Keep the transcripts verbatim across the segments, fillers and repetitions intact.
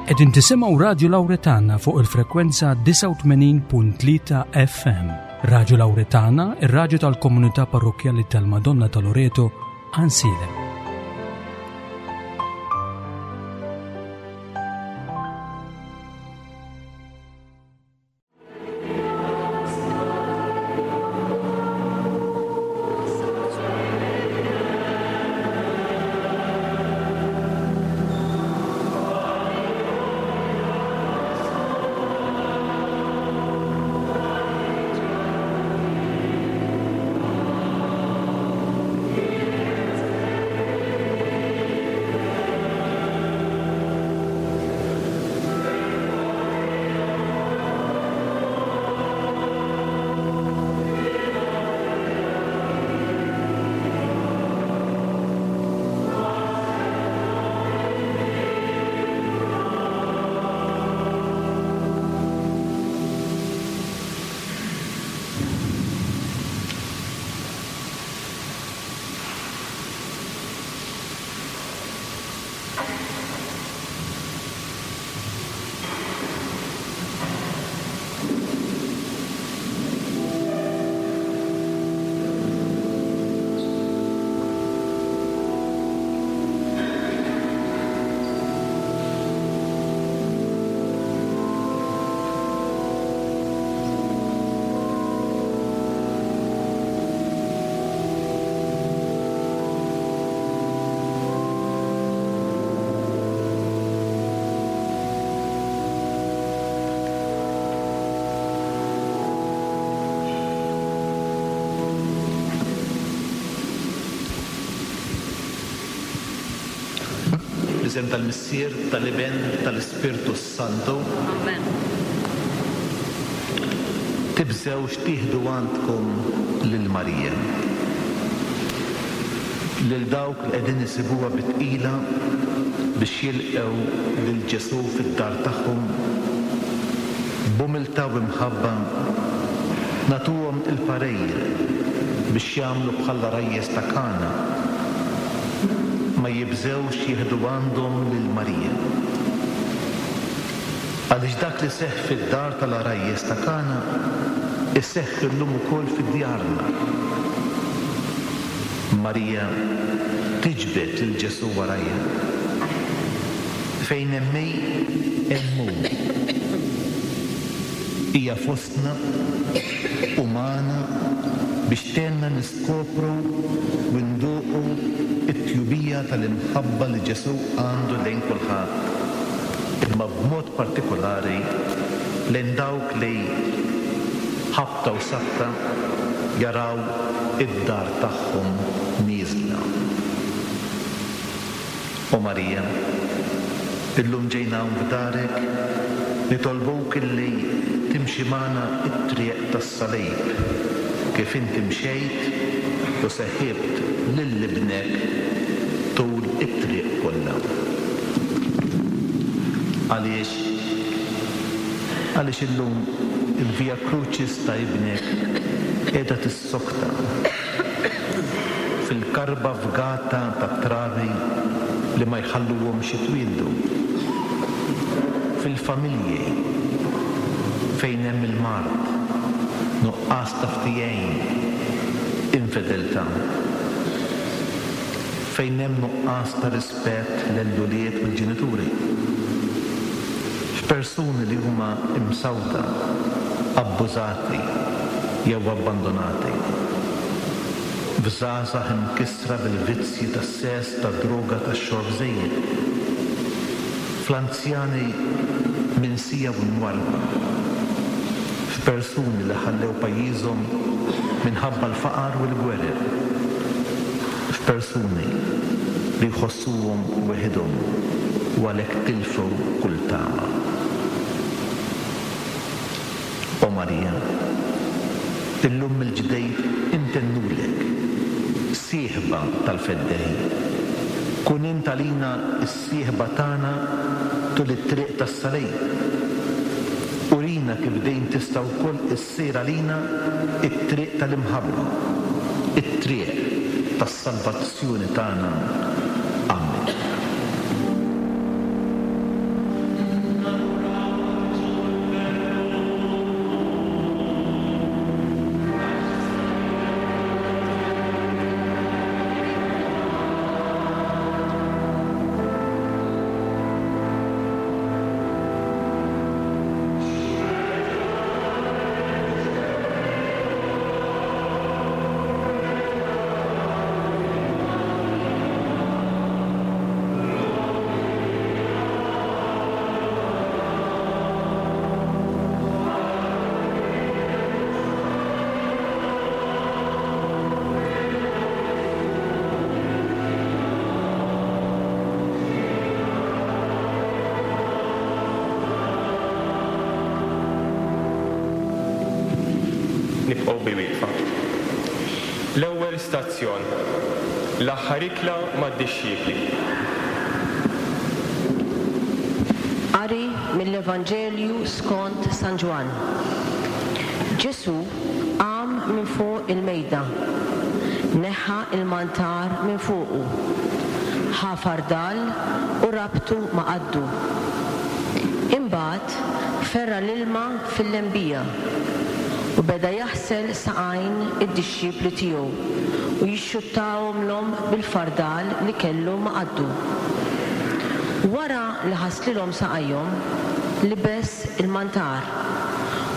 Qegħdin tisimgħu Radju Lawretana fuq il-frekwenza disgħa u tmenin punt tlieta F M. Radju Lawretana, ir-radju tal-komunità parrokkjali tal-Madonna ta' Loreto, Għajnsielem. Fl-isem tal-Missier, tal-Iben, tal-Ispirtu Santu. Amen. Tibżewx tieħdu għandkom lil Marija. Lil dawk li qegħdin isibuha bit-tqila biex jilqgħu lil Ġesù fid-dar tagħhom, b'umiltà u imħabba nagħtuhom il-parir biex jagħmlu bħall-għarajjes ta' Kana. Ma jibżewx jieħdu għandhom lil Marija. Għaliex dak li seħħ fid-dar tal-għarajjes ta' Kana iseħħ illum ukoll fid-djarna. Marija tiġbed lil Ġesù warajha. Fejn hemm hi, hemm hu. Hija fostna u magħna biex tgħinna niskopru u nduqu t-tjubija tal-imħabba li Ġesù għandu lejn kulħadd, imma b'mod partikolari lejn dawk li ħabta u sabta jaraw id-dar tagħhom nieżla. O Marija, illum ġejna hawn f'darek nitolbuk illi timxi magħna t-triq tas-salib kif inti mxejt u seħibt lil ibnek tul it-triq kollha. Għaliex? Għaliex illum il-Via Crucis ta' ibnek qiegħda tissokta fil-karba fgata tat-trabi li ma jħalluhomx jitwieldu, fil-familji fejn hemm il-mard, nuqqas ta' ftijejn, infedeltà, fejn hemm nuqqas ta' rispett lill-ulied u l-ġenituri, f'persuni li huma imsawta, abbużati jew abbandonati, f'żgħażagħ imkissra bil-vizzji tas-sess, tad-droga, tax-xorb żejjed, fl-anzjani minsija u mwarrba, f'persuni li ħallew pajjiżhom minħabba l-faqar u l-gwerer, f'persuni li jħossuhom weħidhom u għalhekk tilfew kull tama. O Marija, illum mill-ġdejt intennulek, sieħba tal-Feddej. Kun int għalina s-sieħba tagħna tul it-triq tas-salib. Urina kif dejjem tista' wkoll issir għalina it-triq tal-imħabba, it-triq tas-salvazzjoni tagħna. Amen. Nibqgħu wieqfa. L-ewwel stazzjon, l-aħħar ikla mad-dixxipli. Qari mill-Evanġelju skont San Ġwann. Ġesù qam minn fuq il-mejda, neħħa il-mantar minn fuqu, ħa fardal u rabtu ma' qaddu. Imbagħad ferra l-ilma fil-lembija u beda jaħsel saqajn id-dixxipli tiegħu u jixxuttahomlhom bil-fardal li kellu ma' qaddu. Wara li ħaslilhom saqajhom, libes il-mantar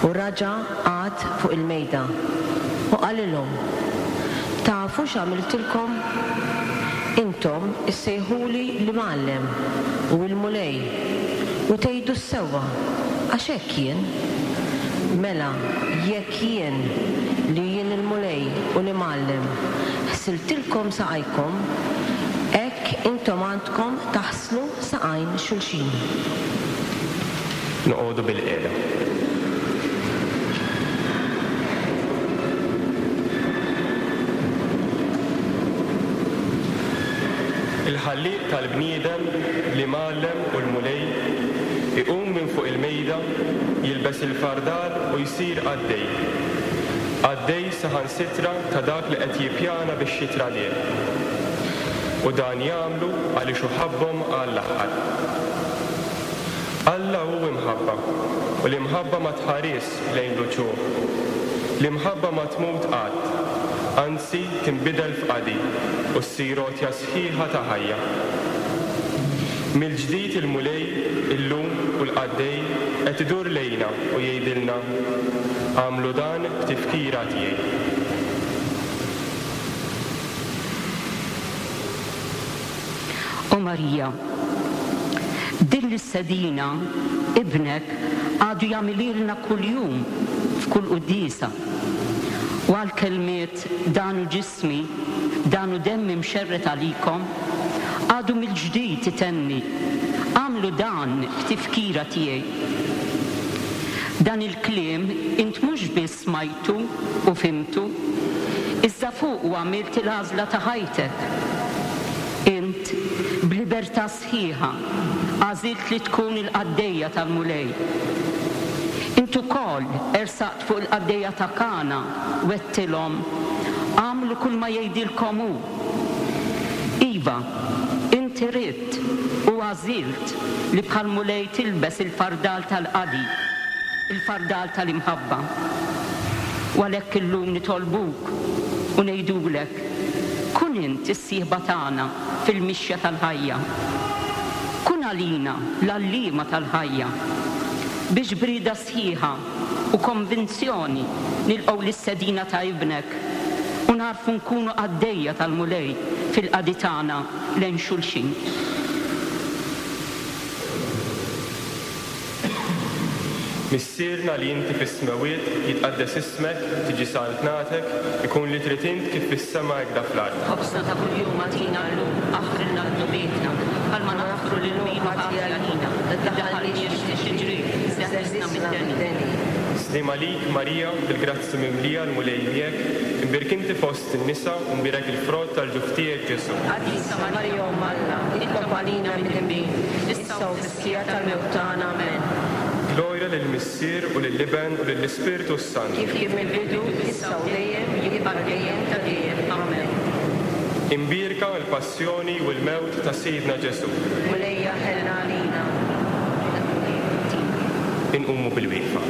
u raġa' qagħad fuq il-mejda u qalilhom: Tafu x'għamiltilkom? Intom issejħuli l-Imgħallem u l-Mulej u tgħidu s-sewwa, għax hekk jien. Mela, jekk jien li jien il-Mulej u l-Imgħallem ħsiltilkom saqajkom, hekk intom għandkom taħslu saqajn xulxin. Noqogħdu bil-qiegħda. Il-ħallieq tal-bniedem, l-Imgħallem u l-Mulej iqum minn fuq il-mejda, jilbes il-fardal u jsir qaddej. Qaddej saħansitra ta' dak li qed jippjana biex jitradih. U dan jagħmlu għaliex hu ħabbhom għall-aħħar. Alla hu imħabba, u l-imħabba ma tħares lejn l-uċuħ. L-imħabba ma tmut qatt, anzi tinbidel f'qadi u ssir għotja sħiħa ta' ħajja. Mill-ġdid il-Mulej illum u l-qaddej qed idur lejna u jgħidilna: Agħmlu dan b'tifkira tiegħi. O Marija, din l-istedina ibnek għadu jagħmililna kuljum f'kull quddiesa. U għal-kelmiet dan hu ġismi, dan hu demmi mxerred għalikom, għadu mill-ġdid itenni: Agħmlu dan b'tifkira tiegħi. Dan il-kliem int mhux biss smajtu u fhimtu, iżda fuq u għamilt il-għażla ta' ħajtek. Int b'libertà sħiħa għażilt li tkun il-qaddejja tal-Mulej. Int ukoll ersaqt fuq il-qaddejja ta' Kana u għedtilhom: Agħmlu kull ma jgħidilkom hu. Iva, inti ridt u għażilt li bħal Mulej tilbes il-fardal tal-qadi, il-fardal tal-imħabba. U għalhekk illum nitolbuk u ngħidulek: kun int is-sieħba tagħna fil-mixja tal-ħajja. Kun għalina l-għalliema tal-ħajja, biex b'rieda sħiħa u konvinzjoni nilqgħu l-istedina ta' ibnek u narfu nkunu qaddejja tal-Mulej fil-qadi tagħna lejn xulxin. Missierna li inti fis-smewwiet, jitqaddes ismek, tiġi saltnatek, ikun li trid int kif fis-sema hekk fl-art. Ħobżna ta' kuljum agħtina llum, aħfrilna dnubietna, bħalma naħfru lil min hu ħati għalina, tiddaħħalniex f'tiġrib, iżda eħlisna mid-deni. Sliem għalik Marija, bil-grazzi mimlija l-Mulej miegħek, imbierek inti fost in-nisa u mbierek il-frott tal-ġuf tiegħek Ġesù. Qaddisa Marija Omm Alla, itlob għalina midinbin, issa u fis-siegħa tal-mewt tagħna. Amen. Glorja lill-Missier u lill-Iben u lill-Ispirtu s-Santu. Kif kien mill-bidu, issa u dejjem, jibqa' dejjem ta' dejjem. Amen. Imbierka l-passjoni u l-mewt ta' Sidna Ġesù. Mulejja ħenna għalina. Inqumu bil-wieqfa.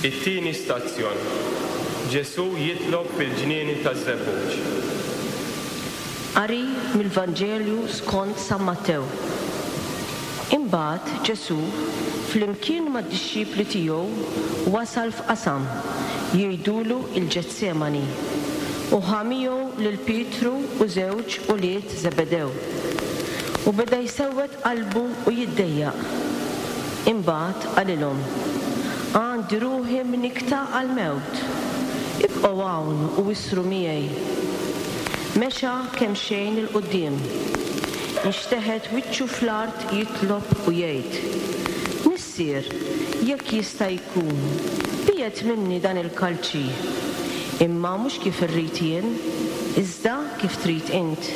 It-tieni stazzjon. Ġesù jitlob fil-ġnien taż-Żebbuġ. Qari mill-Vanġelju skont San Mattew. Imbagħad Ġesù flimkien mad-dixxipli tiegħu wasal f'qasam jgħidulu il-Ġetsemani u ħa miegħu lil Pietru u żewġ ulied Zebedew. U beda jsewwed qalbu u jiddejjaq. Imbagħad qalilhom: Għandi ruħi mnikta għall-mewt. Ibqgħu hawn u isru miegħi. Mexa kemm xejn 'il quddiem. Inxteħet wiċċu fl-art jitlob u jgħid: Missier, jekk jista' jkun, biegħed minni dan il-kalċi. Imma mhux kif irrid jien, iżda kif trid int.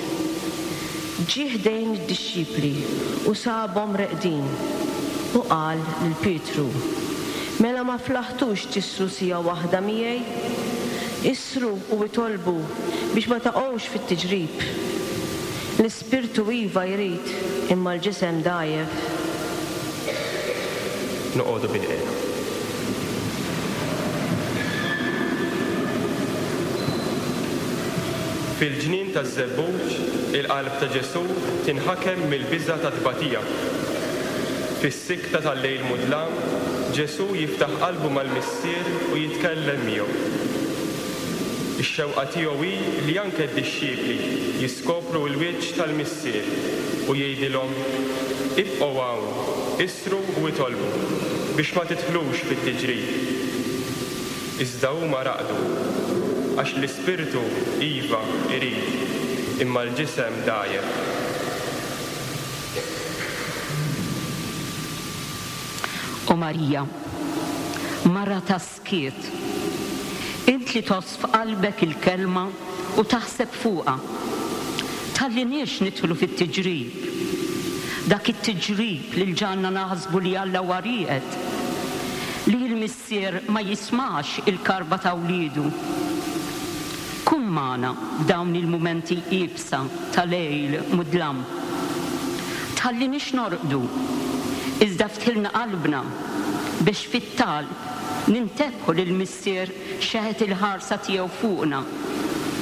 Ġie ħdejn id-dixxipli u sabhom reqdin u qal lil Pietru: Mela ma flaħtux tisru siegħa waħda miegħi? Isru u itolbu biex ma taqgħux fit-tiġrib. L-ispirtu iva jrid, imma l-ġisem dgħajjef. Noqogħdu bilqiegħda. Fil-ġnien taż-Żebbuġ, il-qalb ta' Ġesù tinħakem mill-biża' ta' tbatija. Fis-sikta tal-lejl mudlam, Ġesù jiftaħ qalbu mal-Missier u jitkellem miegħu. Ix-xewqa tiegħu hi li anke d-dixxipli jiskopru l-wiċċ tal-Missier u jgħidilhom: Ibqgħu hawn, isru u itolbu biex ma tidħlux fit-tiġrib. Iżda huma raqdu, għax l-ispirtu iva irid, imma l-ġisem dgħajjef. O Marija, mara ta' skiet, int li tgħożż f'qalbek il-kelma u taħseb fuqha. Tħalliniex nidħlu fit-tiġrib. Dak it-tiġrib li l-ġanna naħsbu li Alla huwa rieqed, li l-Missier ma jismax il-karba ta' wliedu. Kun magħna f'dawn il-mumenti iebsa ta' lejl mudlam. Tħalliniex norqdu, iżda ftħilna qalbna biex fit-talb nintebħu lil Missier xeħet il-ħarsa tiegħu fuqna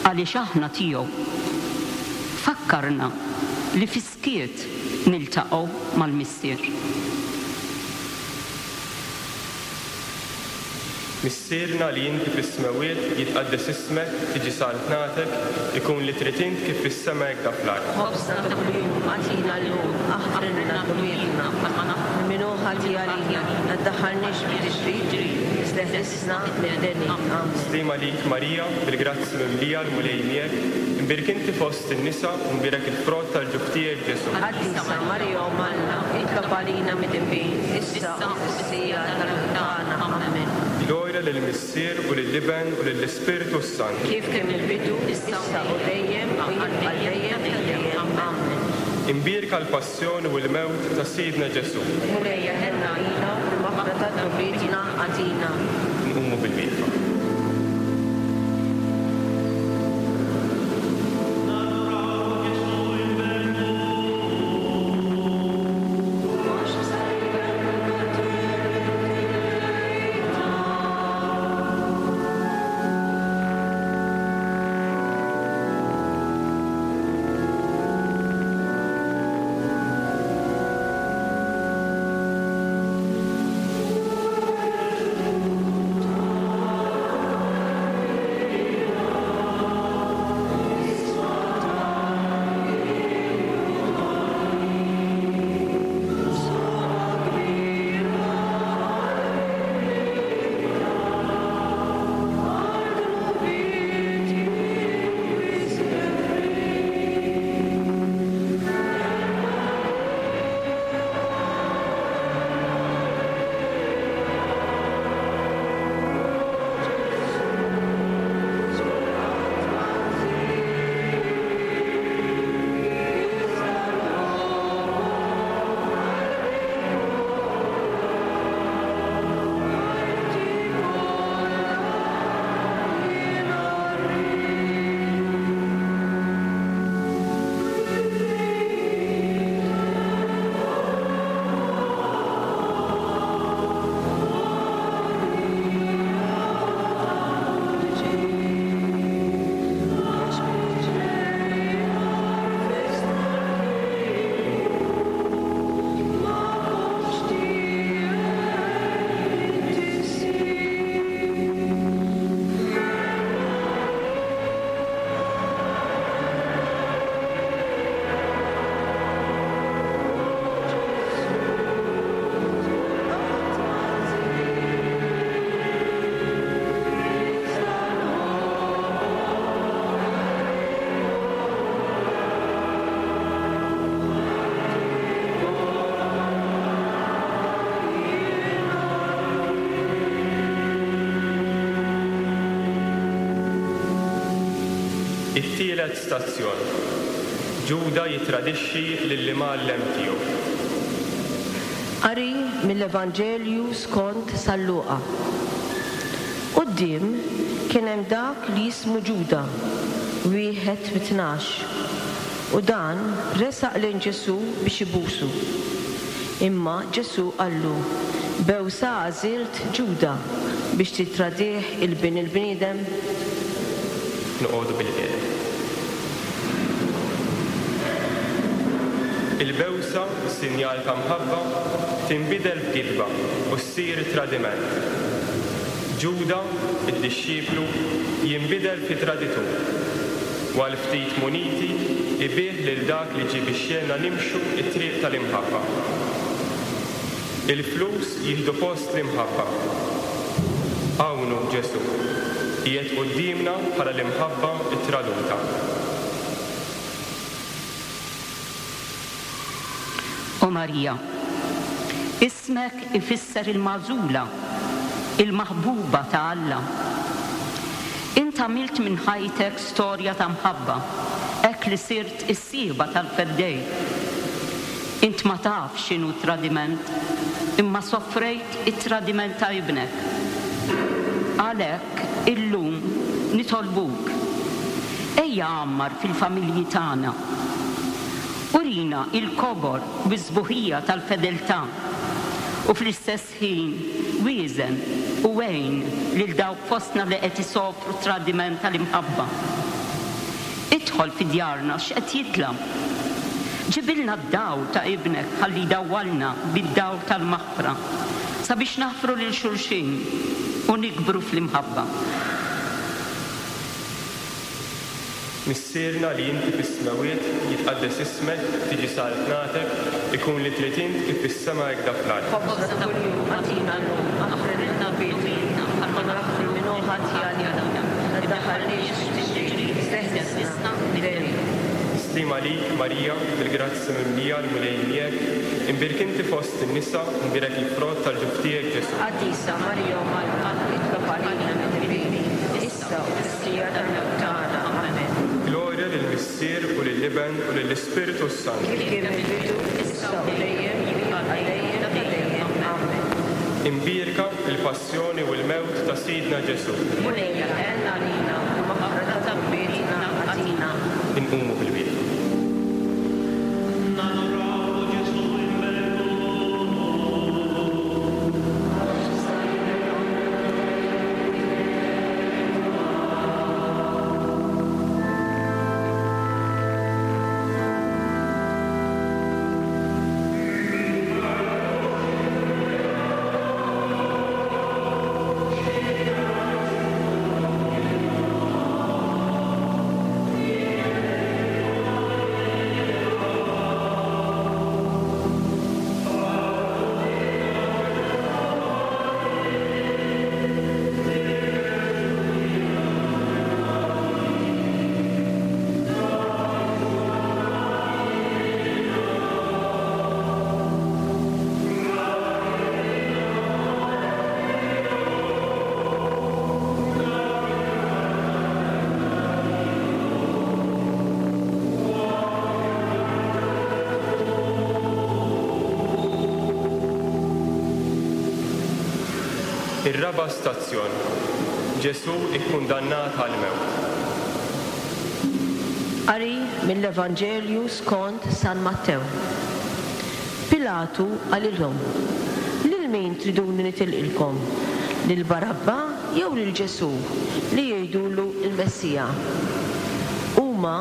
għaliex aħna tiegħu. Fakkarna li fis-skiet niltaqgħu mal-Missier. Missierna li inti fis-smewwiet, jitqaddes ismek, tiġi saltnatek, ikun li trid int kif fis-sema hekk fl-art. Ħobżna ta' kuljum agħtina llum, aħfrilna dnubietna bħalma naħfru min hu ħati għalina, la ddaħħalniex fit-tiġrib, iżda eħlisna mid-deni. Amen. Slim għalik Marija, bil-grazzja mimlija l-Mulej miegħek, imbierek inti fost in-nisa u mbierek il-frott tal-ġuf tiegħek Ġesù. Qaddisa Marija Omm Alla, itlob għalina midinbin, issa u fis-siegħa tal-mewt tagħna. Amen. Glorja lill-Missier u lill-Iben u lill-Ispirtu s-Santu. Kif kien il-bidu, issa u dejjem u jibqa' dejjem ta' dejjem. Amen. Imbierka l-passjoni u l-mewt ta' Sidna Ġesù. Mulej ħenna għalina u l-maħfra ta' dnubietna agħtina. Nqumu bil-wieqfa. Thank It-tielet stazzjon. Ġuda jitradixxi lill-imgħallem tiegħu. Qari mill-Evanġelju skont San Luqa. Quddiem kien hemm dak li jismu Ġuda, wieħed mit-tnax, u dan resaq lejn Ġesù biex ibusu. Imma Ġesù qallu, bewsa għażilt Ġuda biex titradih il-bin il-bniedem? Noqogħdu bil-qiegħda. Il-bewsa, sinjal ta' mħabba, tinbidel f'gidba u ssir tradiment. Ġuda, id-dixxiplu, jinbidel fi traditur. U għal ftit muniti ibih lil dak li ġie biex jgħinna nimxu t-triq tal-imħabba. Il-flus jieħdu post l-imħabba. Hawn hu Ġesù, qiegħed quddiemna bħala l-imħabba ttraduta. O Marija, ismek ifisser il-magħżula, il-maħbuba ta' Alla. Int għamilt minn ħajtek storja ta' mħabba, hekk li sirt is-sieħba tal-Feddej. Int ma taf x'inhu tradiment, imma soffrejt it-tradiment ta' ibnek. Għalhekk illum nitolbuk, ejja għammar fil-familji tagħna. Urina il-kobor u s-sbuħija tal-fedeltà u fl-istess ħin wieżen u għin lil dawk fostna li qed isofru tradiment tal-imħabba. Idħol fi djarna x'qed jidlam. Ġibilna d-dawl ta' ibnek ħalli jdawwalna bid-dawl tal-maħfra sabiex naħfru lil xulxin u nikbru fl-imħabba. Missierna li inti fis-smewwiet, jitqaddes ismek, tiġi saltnatek, ikun li trid int kif fis-sema hekk fl-art. Ħobżna ta' kuljum agħtina llum, aħfrilna dnubietna bħalma naħfru min hu ħati għalina. La tdaħħalniex f'tiġrib, iżda eħlisna mid-deni. Slim għalik, Marija, bil-grazzja mimlija l-Mulej miegħek, imbierek inti fost in-nisa, imbierek il-frott tal-ġuf tiegħek Ġesù. Qaddisa Marija Omm Alla, itlob għalina midinbin, issa u fis-siegħa tal-mewt tagħna. Amen. Glorja lill-Missier u lill-Iben u lill-Ispirtu s-Santu. Kif kien mill-bidu, issa u dejjem, għal dejjem ta' dejjem. Amen. Imbierka il-passjoni u l-mewt ta' Sidna Ġesù. Mulej għen għalina u maħfra ta' dnubietna agħtina. Inqumu bil-wieqfa. Ir-raba' stazzjon. Ġesù ikkundannat għall-mewt. Qari mill-Evanġelju skont San Mattew. Pilatu qalilhom, lil min triduni nitilqilkom? Lil Barabba jew lil Ġesù li jgħidulu l-Messija? Huma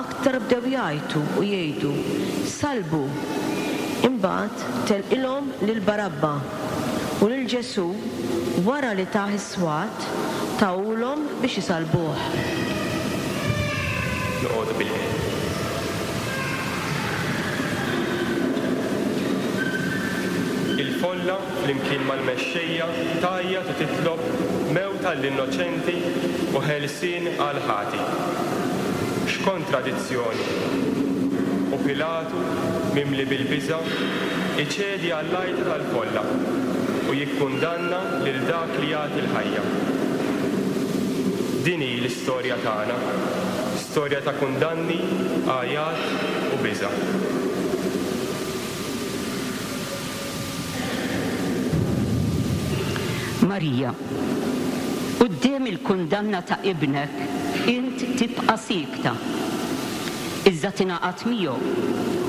aktar bdew jgħajtu u jgħidu, salbu. Imbagħad telqilhom lil Barabba u lil Ġesù wara li tah is-swat tawulhom biex isalbuh. Noqogħdu bil-qiegħda. Il-folla flimkien mal-mexxejja tgħajjat u titlob mewt għall-innoċenti u ħelsien għal ħati. X'kontradizzjoni! U Pilatu, mimli bil-biża', iċedi għall-għajta tal-folla u jikkundanna lil dak li jagħti l-ħajja. Din hi l-istorja tagħna, Storja ta' kundanni, għajat u biża'. Marija, quddiem il-kundanna ta' ibnek, int tibqa' siekta. Iżda tingħaqad miegħu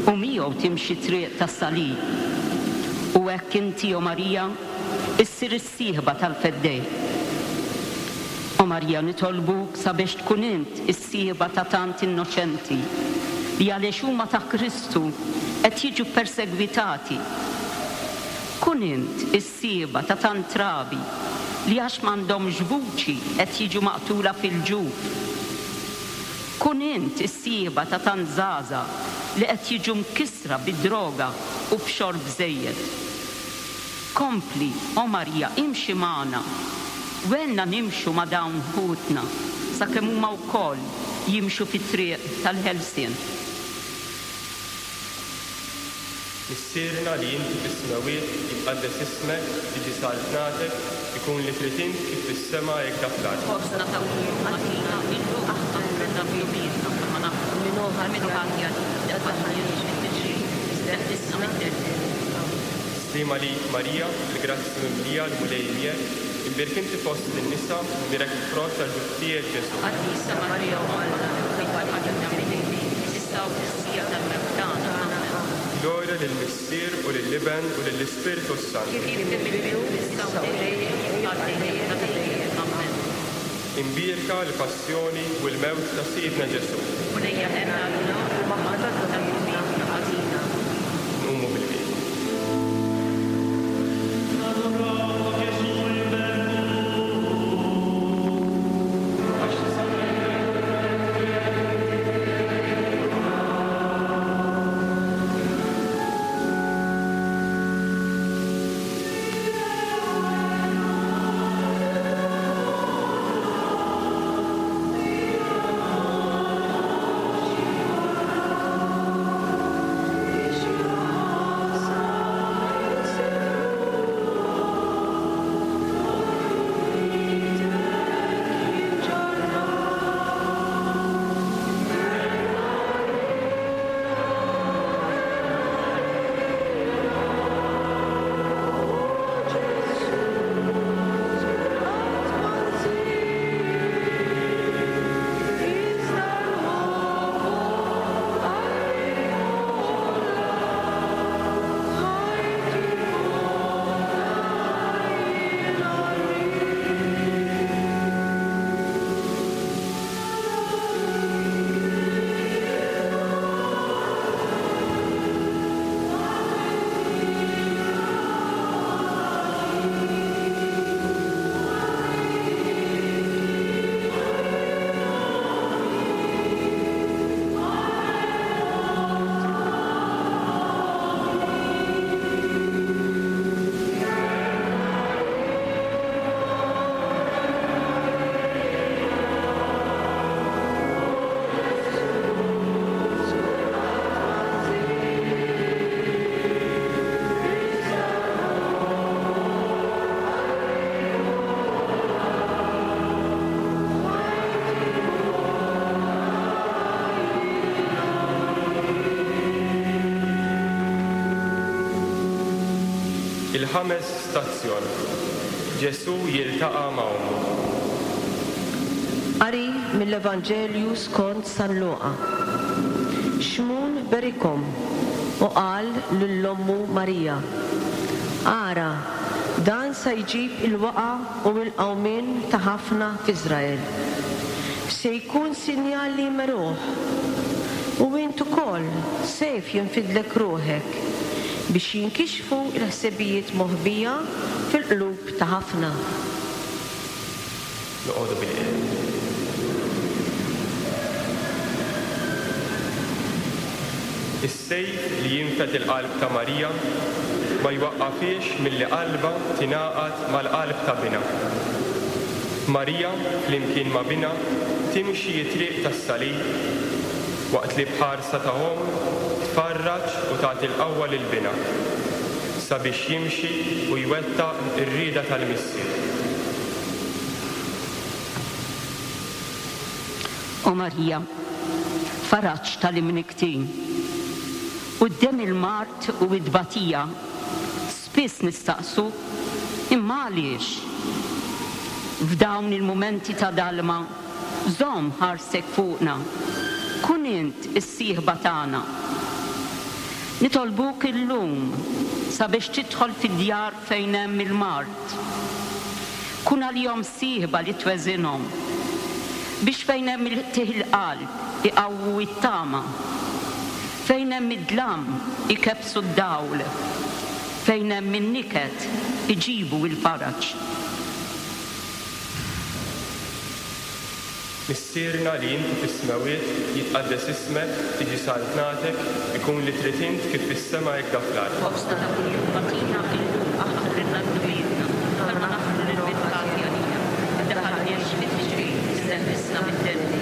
u miegħu timxi triq tas-salib. U hekk inti, o Marija, issir is-sieħba tal-Feddej. O Marija, nitolbuk sabiex tkun int is-sieħba ta' tant innoċenti li għaliex huma ta' Kristu qed jiġu persegwitati. Kun int is-sieħba ta' tant trabi li għax m'għandhomx vuċi qed jiġu maqtula fil-ġuf. Kun int is-sieħba ta' tant żgħażagħ li qed jiġu mkissra bid-droga u b'xorb żejjed. Kompli, o Marija, imxi magħna. Għinna nimxu ma' dawn ħutna sakemm huma wkoll jimxu fit-triq tal-ħelsien. Missierna li inti fis-smewwiet, jitqaddes ismek, tiġi saltnatek, ikun li trid int kif fis-sema hekk dak l-art. Ħobżna ta' kuljum agħtina illum aħfrilna dnubietna bħalma naħfru min hu ħati għalina, tdaħħalniex fit-tiġrib, iżda eħlisna mid-dell. Sliema lik Marija, il-grazzja mimlija l-Mulej miegħek, imbierka inti fost in-nisa, imbierek il-frott tal-ġuf tiegħek Ġesù. Qaddisa Marija Omm Alla, itlob għalina midinbin, issa u fis-siegħa tal-mewt tagħna. Amen. Glorja lill-Missier u lill-Iben u lill-Ispirtu s-Santu. Kif kien fil-bidu, issa u dejjem, u għal dejjem ta' dejjem. Amen. Imbierka l-passjoni u l-mewt ta' Sidna Ġesù. Mulejja ħenna għalina u maħfra ta' dnubietna agħtina. Nqumu bil-kwiet. Il-ħames stazzjon. Ġesù jiltaqa' ma' ommu. Qari mill-Evanġelju skont San Luqa. Xmun berikhom u qal lil ommu Marija: Ara, dan sa jġib il-waqa u l-qawmien ta' ħafna f'Iżrael. Se jkun sinjal li jmeruh, u int ukoll sejf jinfidlek ruħek biex jinkixfu l-ħsibijiet moħbija fil-qlub ta' ħafna. Noqogħdu bil-qiegħda. Is-sejf li jinfed il-qalb ta' Marija ma jwaqqafiex milli qalba tingħaqad mal-qalb ta' binha. Marija, flimkien ma' binha, timxi t-triq tas-salib waqt li bħarsa ta' omm tfarraġ u tagħti l-qawwa lil binha sabiex jimxi u jwettaq ir-rieda tal-Missier. O Marija, faraġ tal-imniktin. Quddiem il-mard u id-batija, spiss nistaqsu, imma għaliex? F'dawn il-mumenti ta' dalma, żomm ħarsek fuqna, kun int is-sieħba tagħna. Nitolbuk illum sabiex tidħol fid-djar fejn hemm il-mard. Kun għalihom sieħba li tweżinhom biex fejn hemm il-qtigħ il-qalb iqawwu it-tama, fejn hemm id-dlam ikebsu d-dawl, fejn hemm in-niket iġibu l-faraġ. Missierna li inti fis-smewwiet, jitqaddes ismek, tiġi saltnatek, ikun li trid int kif fis-sema hekk fl-art. Ħobżna ta' kuljum agħtina illum, aħfrilna dnubietna, bħalma naħfru lil min ħati għalina. Iddaħħalniex fit-tiġrib, iżda eħlisna mid-deni.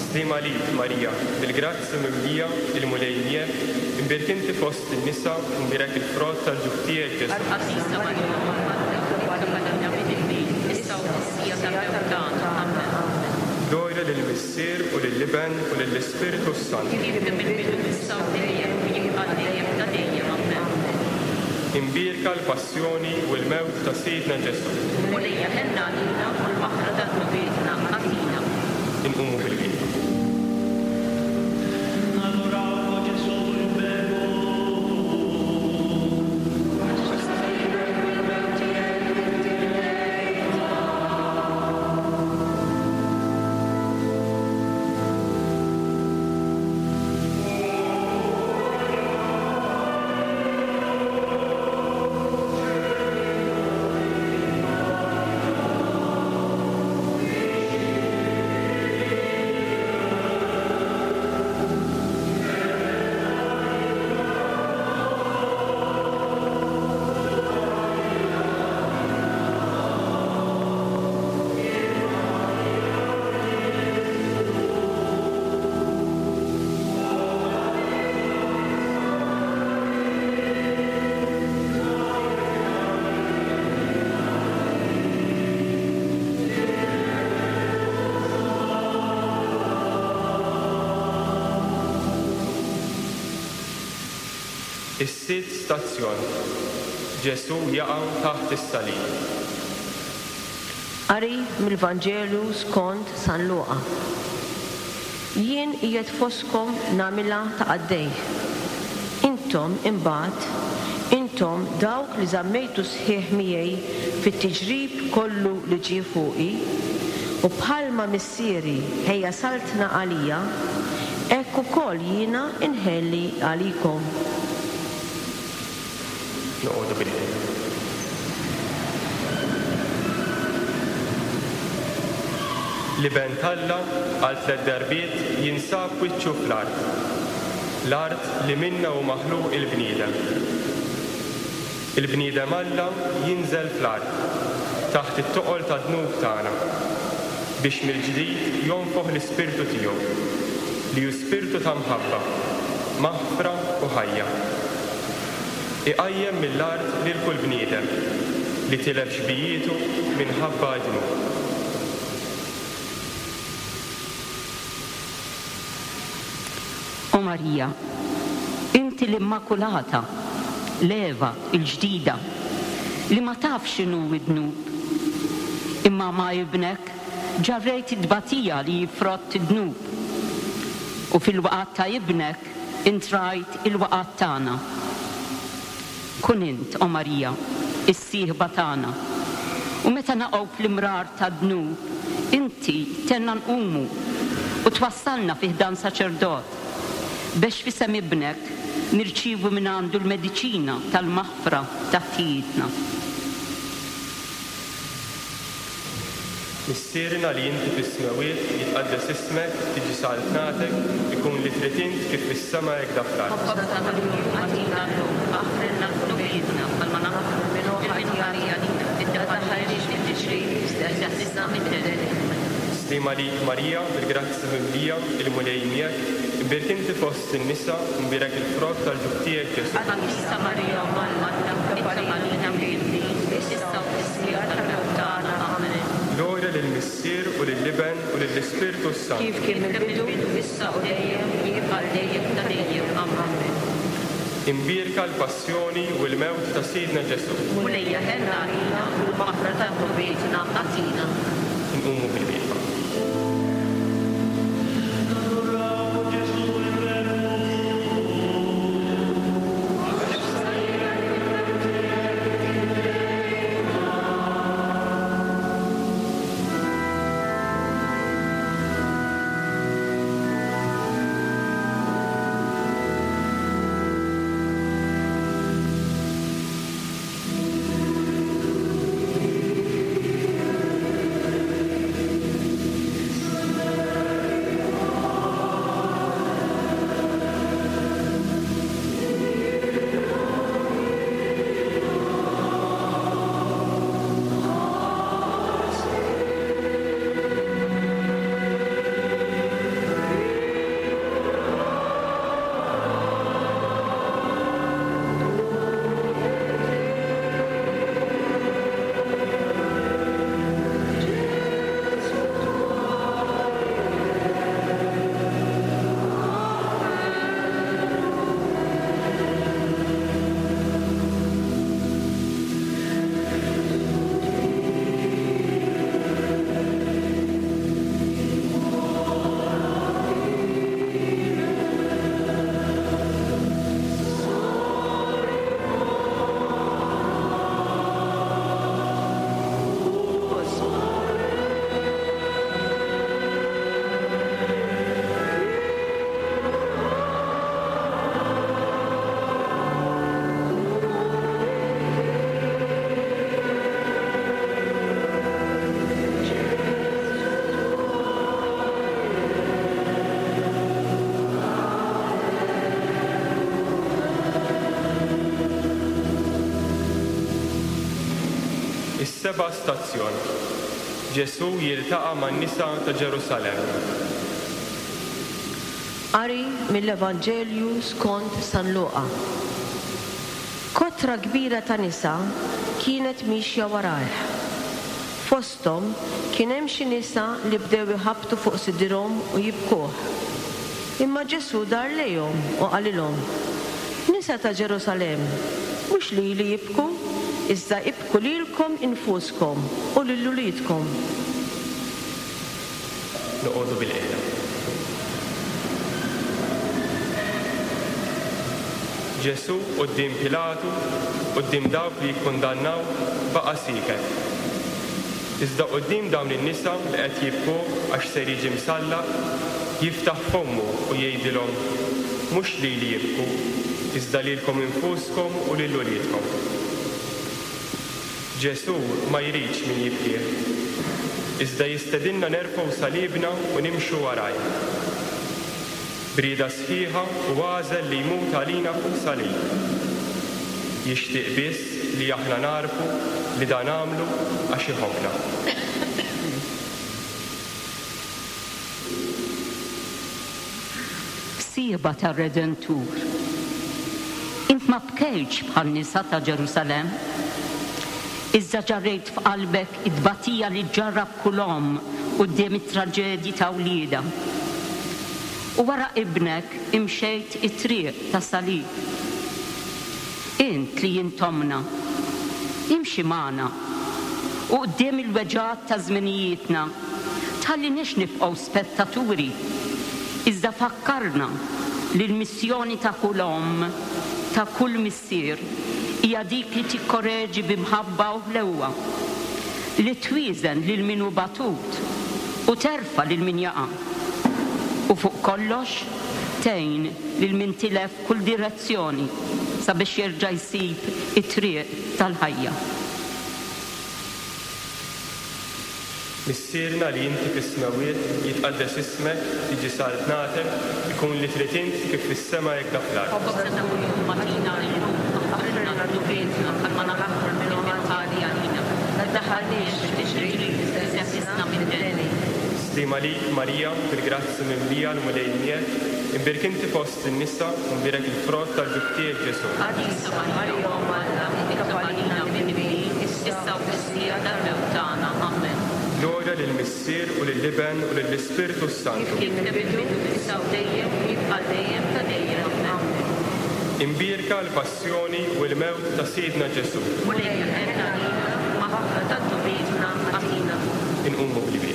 Sliema lik, Marija, bil-grazzja mimlija, il-Mulej miegħek, imbierek inti fost in-nisa, imbierek il-frott tal-ġuf tiegħek, Ġesù. Qaddisa Marija, Omm Alla, itlob għalina midinbin, issa u fis-siegħa tal-mewt tagħna. Amen. Glorja lill-Missier u lill-Iben u lill-Ispirtu s-Santu. Kif mill-bidu issa u dejjem u jibqa' dejjem ta' dejjem. Amen. Imbierka l-passjoni u l-mewt ta' Sidna Ġesù. Mulejja ħenna għalina u l-maħfra ta' dnubietna agħtina. Inqumu bil-qiegħda. Is-sitt stazzjon. Ġesù jaqa' taħt is-salib. Qari mill-Vanġelu skont San Luqa. Jien qiegħed fostkom nagħmilha ta' qaddej. Intom imbagħad, intom dawk li żammejtu sħiħ miegħi fit-tiġrib kollu li ġie fuqi, u bħalma missieri ħejja saltna għalija, hekk ukoll jiena inħelli għalikom. Noqogħdu bil-qiegħda. L-Iben t'Alla għal tliet darbiet jinsab wiċċu fl-art, l-art li minna hu maħluq il-bniedem. Il-bniedem Alla jinżel fl-art, taħt it-toqol tad-dnub tagħna, biex mill-ġdid jonfoħ l-ispirtu tiegħu, li hu spirtu ta' mħabba, maħfra u ħajja. Iqajjem mill-art lil kull bniedem li tilef xbijietu minħabba dnub. O Marija, inti l-Immakulata, l-Eva il-ġdida, li ma tafx x'inhu d-dnub, imma ma' ibnek ġarrejt it-tbatija li jifrott id-dnub, u fil-waqgħat ta' ibnek intrajt il-waqgħat tagħna. Kun int, o Marija, is-sieħba tagħna, u meta naqgħu fl-imrar tad-dnub, inti tenna nqumu u twassalna fi ħdan saċerdot, biex f'isem ibnek nirċievu minn għandu l-mediċina tal-maħfra ta' ħtijietna. Missierna li inti fis-smewwiet, jitqaddes ismek, tiġi saltnatek, ikun li trid int kif fis-sema hekk fl-art. Ħobżna ta' kuljum agħtina llum, aħfrilna dnubietna bħalma naħfru lil min ħati għalina, iddaħħalniex fit-tiġrib, iżda eħlisna mid-deni. Sliema lik Marija, bil-grazzja mimlija, il-Mulej miegħek, imbierek inti fost in-nisa, imbierek il-frott tal-ġuf tiegħek Ġesù. Qaddisa Marija, Omm Alla, itlob għalina midinbin, issa u fis-siegħa tal-mewt tagħna. Amen. Glorja lill-Missier lill-Missier u lill-Iben u lill-Ispirtu s-Santu. Kif kien mill-bidu, issa u dejjem, u jibqa' dejjem ta' dejjem. Amen. Imbierka l-passjoni u l-mewt ta' Sidna Ġesù. Mulejja ħenna għalina u l-maħfra ta' dnubietna agħtina. Inqumu bil-wieqfa. Is-seba' stazzjon. Ġesù jiltaqa' man-nisa ta' Ġerusalemm. Qari mill-Evanġelju skont San Luqa. Kotra kbira ta' nisa kienet mixja warajh. Fosthom kien hemm xi nisa li bdew iħabbtu fuq sidirhom u jibkuh. Imma Ġesù dar lejhom u qalilhom: Nisa ta' Ġerusalemm, mhux lili jibku, iżda ibku lilkom infuskom u lil uliedkom. Noqogħdu bil-qiegħda. Ġesù quddiem Pilatu, quddiem dawk li jikkundannaw, baqa' sieket. Iżda quddiem dawn in-nisa li qed jibkuh għax ser jiġi msallab, jiftaħ fommu u jgħidilhom: mhux lili jibku, iżda lilkom infuskom u lil uliedkom. Ġesù ma jridx min jibkih, iżda jistedinna nerfgħu salibna u nimxu warajh. B'rieda sħiħa u għażel li jmut għalina fuq salib. Jixtieq biss li aħna narfu li dan għamlu għax iħobbna. Sieba tar-Redentur, int ma bkejtx bħal nisa ta' Ġerusalemm, iżda ġarrejt f'qalbek it-tbatija li ġarrab kull omm quddiem it-traġedji ta' wliedha. U wara ibnek imxejt it-triq ta' salib. Int li jintomna, imxi magħna u quddiem il-weġgħat ta' żminijietna tħalliniex nibqgħu spettaturi, iżda fakkarna li l-missjoni ta' kull omm, ta' kull missier, hija dik li tikkoreġi b'imħabba u ħlewwa, li twieżen lil min hu batut u terfa' lil min jaqa'. U fuq kollox tgħin lil min tilef kull direzzjoni sabiex jerġa' jsib it-triq tal-ħajja. Missierna li inti fis-smewwiet, jitqaddes ismek, tiġi saltnatek, ikun li trid int kif fis-sema hekk fl-art. Ħobżna ta' kuljum agħtina llum, aħfrilna dnubietna bħalma naħfru lil min ħali għalina. La tdaħħalniex f'tiġrib, iżda eħlisna mid-deni. Sliema lik Marija, bil-grazzi mimlija l-Mulej miegħek, imbierek inti fost in-nisa, u mbierek il-frott tal-ġuf tiegħek Ġesù. Qaddisa Marija Omm Alla, itlob għalina midinbin, issa u fis-siegħa tal-mewt tagħna. Amen. Glorja lill-Missier u lill-Iben u lill-Ispirtu s-Santu. Kif kien fil-bidu, issa u dejjem, u jibqa' dejjem ta' dejjem. Amen. Imbierka l-passjoni u l-mewt ta' Sidna Ġesù. Mulej ħenn għalina, maħfra ta' dnubietna agħtina. Inqumu bil-kbir.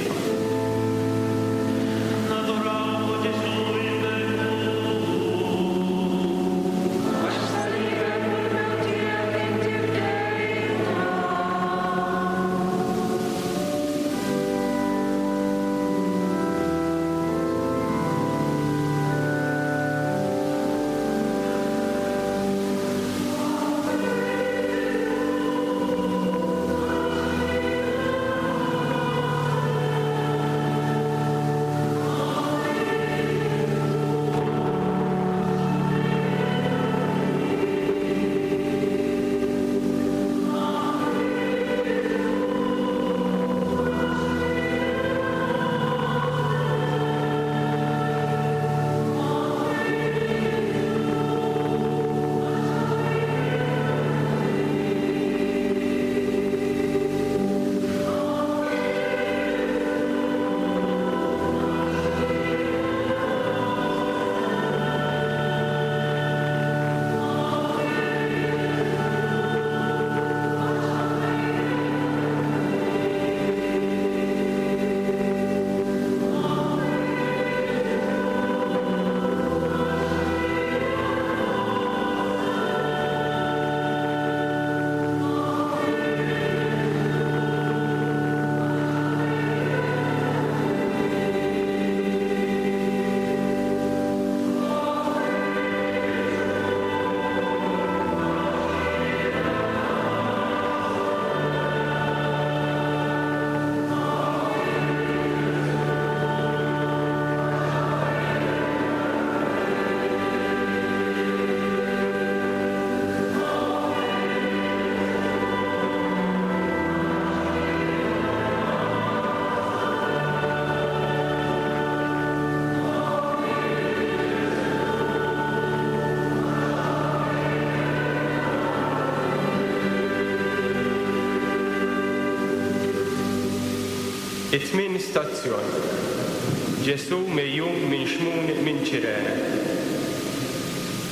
It-tmien stazzjon. Ġesù mejjum minn Xmun minn Ċirene.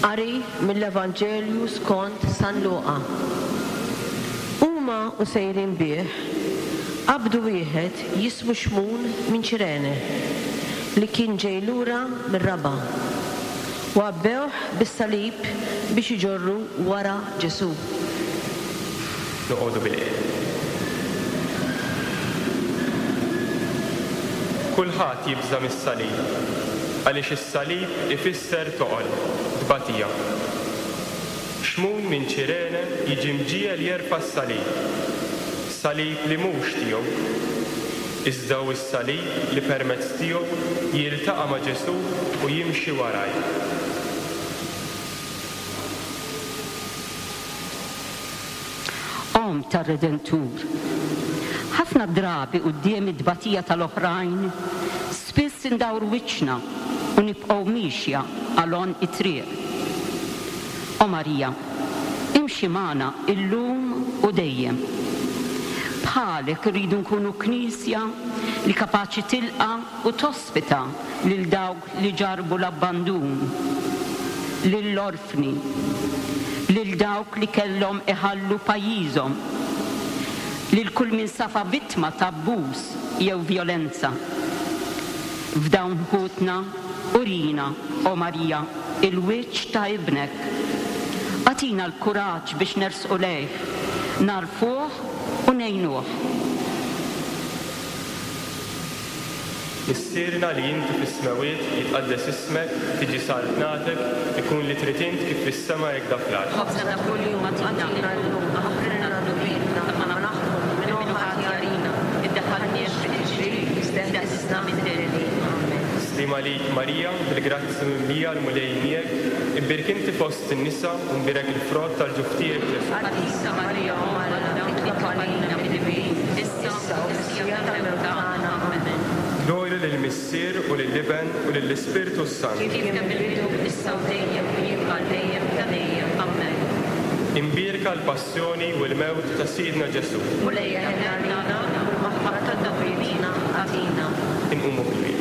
Qari mill-Evanġelju skont San Luqa. Huma u sejrin bih, qabdu wieħed jismu Xmun minn Ċirene, li kien ġej lura mir-raba', u għabbewh bis-salib biex iġorru wara Ġesù. Noqogħdu bil-qiegħda. Kulħadd jibża' mis-salib, għaliex is-salib ifisser toqol, tbatija. Xmun minn Ċirene jiġi mġiegħel jerfa' s-salib, salib li mhux tiegħu, iżda hu s-salib li permezz tiegħu jiltaqa' ma' Ġesù u jimxi waraj. Omm tar-Redentur, ħafna drabi quddiem it-tbatija tal-oħrajn, spiss indawru wiċċna u nibqgħu miexja għal għonq it-triq. O Marija, imxi magħna illum u dejjem. Bħalek irridu nkunu knisja li kapaċi tilqa' u tospita lil dawk li ġarbu l-abbandun, lill-orfni, lil dawk li kellhom iħallu pajjiżhom, lil kull min safa vittma ta' abbuż jew vjolenza. F'dawn ħutna urina, o Marija, il-wiċċ ta' ibnek. Agħtina l-kuraġġ biex nersqu lejh, narfuh u ngħinuh. Missierna li inti fis-smewwiet, jitqaddes ismek, tiġi saltnatek, ikun li trid int kif fis-sema hekk da fl-art. Ħobżna ta' kuljum agħtina llum, aħfrilna dnubietna kama naħfru lil min hu ħati għalina, iddaħħalniex fit-tiġrib, iżda eħlisna mid-deni. Amen. Slim għalik Marija, bil-grazzja mimlija l-Mulej miegħek, imbierek inti fost in-nisa u mbierek il-frott tal-ġuf tiegħek Ġesù. Qaddisa Marija Omm Alla, itlob għalina midinbin, issa u fis-siegħa tal-mewt tagħna. Amen. Glorja lill-Missier u lill-Iben u lill-Ispirtu s-Santu. Kif kien fil-bidu, issa u dejjem, u jibqa' dejjem ta' dejjem. Amen. Imbierka Imbierka l-passjoni u l-mewt ta' Sidna Ġesù. Mulej ħenn għalina u l-maħfra ta' dnubietna agħtina. Inqumu bil-kwiet.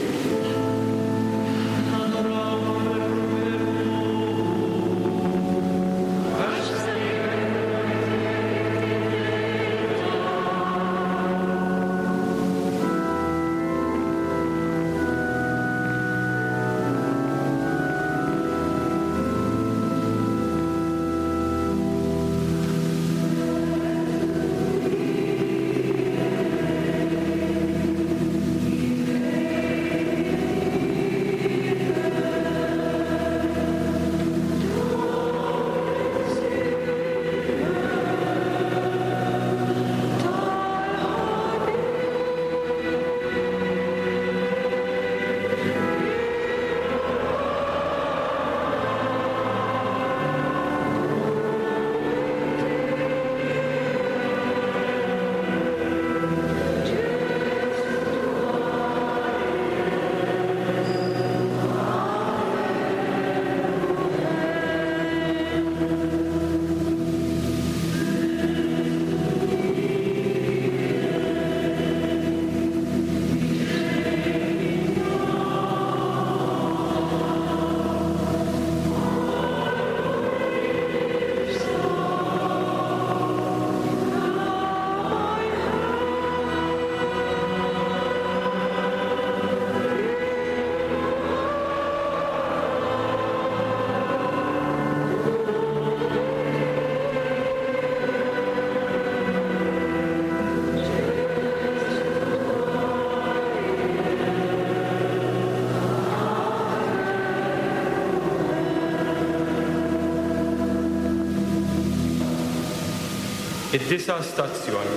Id-disa' stazzjon.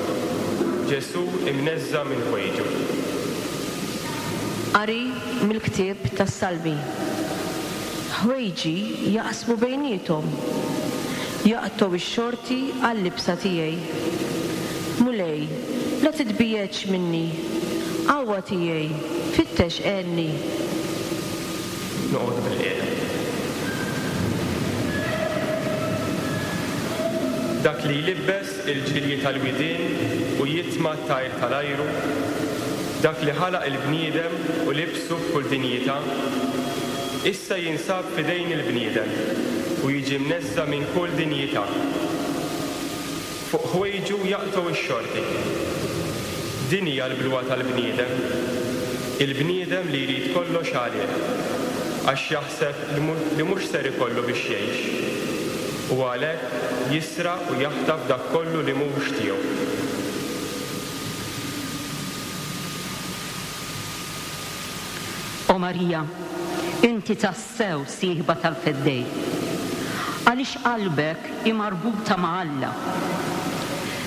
Ġesù imneżża' minn ħwejġu. Qari mill-ktieb tas-Salmi. Ħwejġi jaqsmu bejniethom, jaqtgħu x-xorti għal-libsa tiegħi. Mulej, la titbiegħedx minni, qawwa tiegħi, fittex għenni. Noqogħdu bil-qiegħda. Dak li jlibbes il-ġilji tal-widien u jitma' t-tajr tal-ajru, dak li ħalaq il-bniedem u libsu b'kull dinjità, issa jinsab f'idejn il-bniedem u jiġi mneżża' minn kull dinjità. Fuq ħwejġu jaqtgħu x-xorti. Din hija l-bluha tal-bniedem, il-bniedem li jrid kollox għalih, għax jaħseb li mhux ser ikollu biex jgħix. U għalhekk jisraq u jaħtaf dak kollu li mhux tiegħu. O Marija, inti tassew sieħba tal-Feddej. Għaliex qalbek hi marbuta ma' Alla.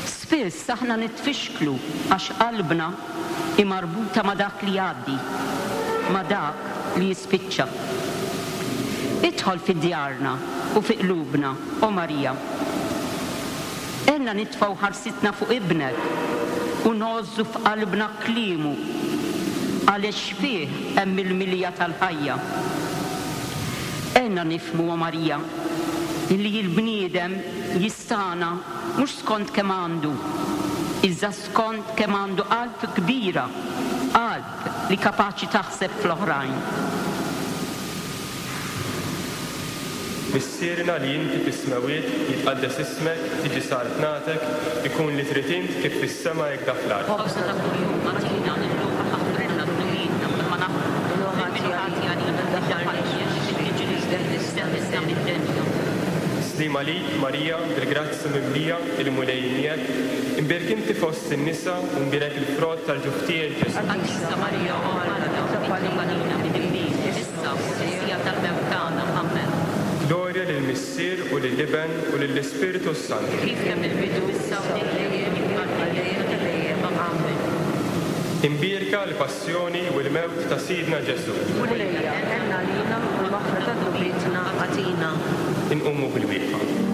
Spiss aħna nitfixklu għax qalbna hi marbuta ma' dak li jgħaddi, ma' dak li jispiċċa. Idħol fi djarna u fi qlubna, o Marija. Għenna nitfgħu ħarsitna fuq ibnek u ngħożżu f'qalbna kliemu, għaliex fih hemm il-milja tal-ħajja. Għenna nifhmu, o Marija, li l-bniedem jistana mhux skont kemm għandu, iżda skont kemm għandu qalb kbira, qalb li kapaċi taħseb fl-oħrajn. Missierna li inti fis-smewwiet, jitqaddes ismek, tiġi saltnatek, ikun li trid int kif fis-sema hekk dak fl-art. Ħobżna ta' kuljum agħtina llum, aħfrilna dnubietna bħalma naħfru lil min hu ħati għalina, tiddaħħalniex fil-tiġrib, isteħlisna mid-dinja. Slim għalik, Marija, bil-grazza mimlija, il-Mulej miegħek, imbierek inti fost in-nisa u mbierek il-frott tal-ġuf tiegħek Ġesù. Qaddisa Marija, Omm Alla, itlob għalina midinbin, issa u fis-siegħa tal-mewt tagħna. Amen. Glorja lill-Missier u lill-Iben u lill-Ispirtu s-Santu. Kif kemm il-bidu issa u dejjem għal dejjem ta' dejjem. Amen. Imbierka l-passjoni u l-mewt ta' Sidna Ġesù. Mulejja, ħenn għalina u l-maħfra ta' dnubietna agħtina. Inqumu bil-wieqfa.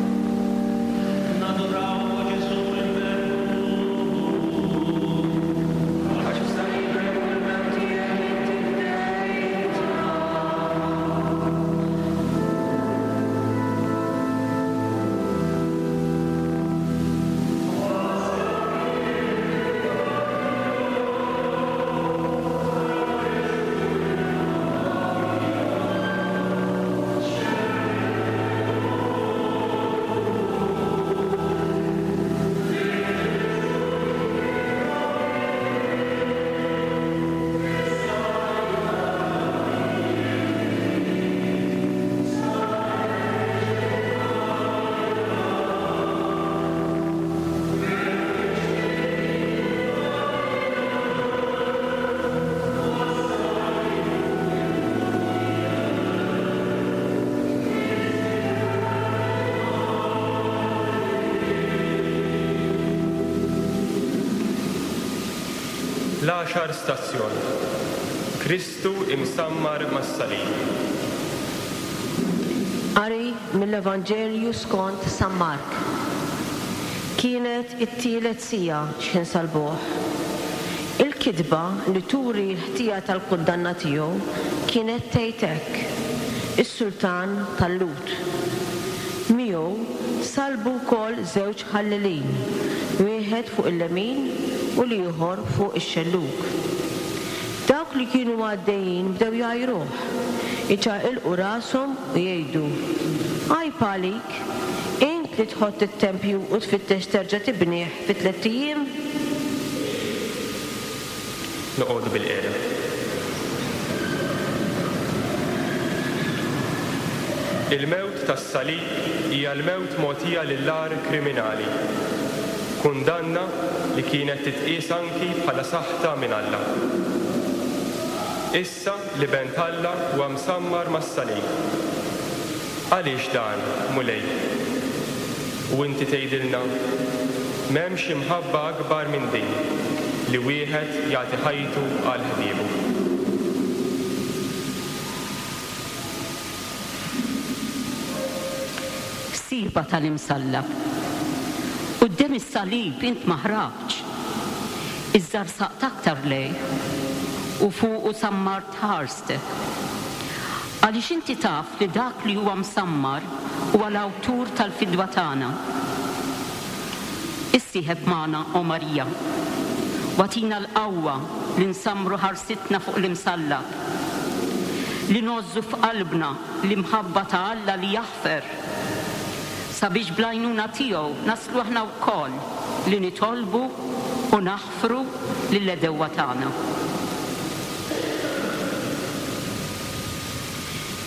L-għaxar stazzjon. Kristu imsammar mas-salib. Qari mill-Evanġelju skont San Mark. Kienet it-tielet siegħa x'ħin salbuh. Il-kitba li turi l-ħtija tal-kundanna tiegħu kienet tgħid hekk: Is-Sultan tal-Lhud. Miegħu salbu wkoll żewġ ħallelin, wieħed fuq il-lemin u l-ieħor fuq ix-xellug. Dawk li kienu għaddejjin bdew jgħajruh, iċaqilqu rashom u jgħidu: Għajb għalik, int li tħott it-tempju u tfittex terġa' tibnih fi tliet ijiem. Noqogħdu bil-qiegħda. Il-mewt tas-salib hija l-mewt mogħtija lill-agħar kriminali, kundanna li kienet titqies anki bħala saħta minn Alla. Issa l-Iben t'Alla huwa msammar mas-salib. Għaliex dan, Mulej? U inti tgħidilna, m'hemmx imħabba akbar minn din li wieħed jagħti ħajtu għal ħbiebu. Siba tal-imsallab. Quddiem is-salib int ma ħrabtx. Iżda rsaqt aktar lejh u fuqu sammart ħarstek. Għaliex inti taf li dak li huwa msammar huwa l-awtur tal-fidwa tagħna. Issieħeb magħna, o Marija, wagħtina l-qawwa li nsammru ħarsitna fuq l-imsallab, li ngħożżu f'qalbna l-imħabba ta' Alla li jaħfer, sabiex bl-għajnuna tiegħu naslu aħna wkoll li nitolbu u naħfru lill-għedewwa tagħna.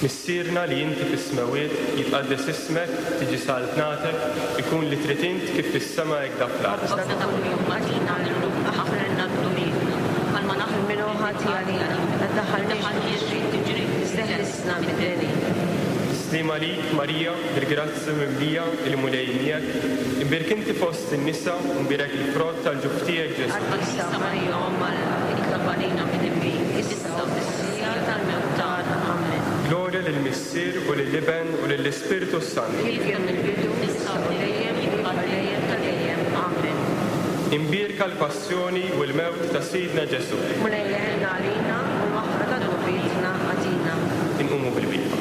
Missierna li inti fis-smewwiet, jitqaddes ismek, tiġi saltnatek, ikun li trid int kif fis-sema hekk da fl-art. Ħobżna ta' kuljum agħtina llum, aħfrilna dnubietna, bħalma naħfru Min hu ħati għalina, la tdaħħalniex f'tiġrib, iżda eħlisna mid-deni. Slim għalik, Marija, bil-grazzja mimlija, il-Mulej miegħek, imbierek inti fost in-nisa u mbierek il-frott tal-ġuf tiegħek, Ġesù. Qaddisa Marija, Omm Alla, itlob għalina midinbin, issa u fis-siegħa tal-mewt tagħna. Amen. Glorja lill-Missier u lill-Iben u lill-Ispirtu s-Santu. Kif kien mill-bidu, issa u dejjem, u għal dejjem ta' dejjem. Amen. Imbierka l-passjoni u l-mewt ta' Sidna Ġesù. Mulej eħenna għalina u l-maħfra ta' dnubietna agħtina. Inqumu bil-wieqfa.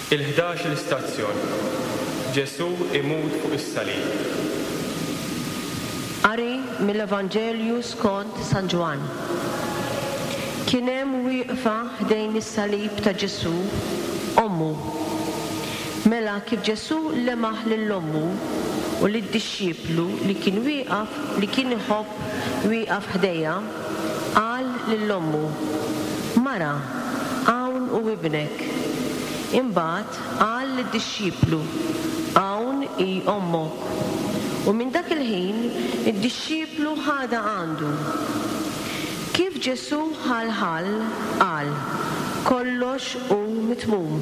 Il-ħdax l-istazzjon. Ġesù imut fuq is-salib. Qari mill-Evanġelju skont San Ġwann. Kien hemm wieqfa ħdejn is-salib ta' Ġesù ommu. Mela kif Ġesù lemaħ lil ommu u lid-dixxiplu li kien wieqaf li kien iħobb wieqaf ħdejha, qal lil ommu: Mara, hawn hu ibnek. Imbagħad qal lid-dixxiplu: Hawn hi ommok. U minn dak il-ħin id-dixxiplu ħadha għandu. Kif Ġesù ħalħal, qal: Kollox hu mitmum.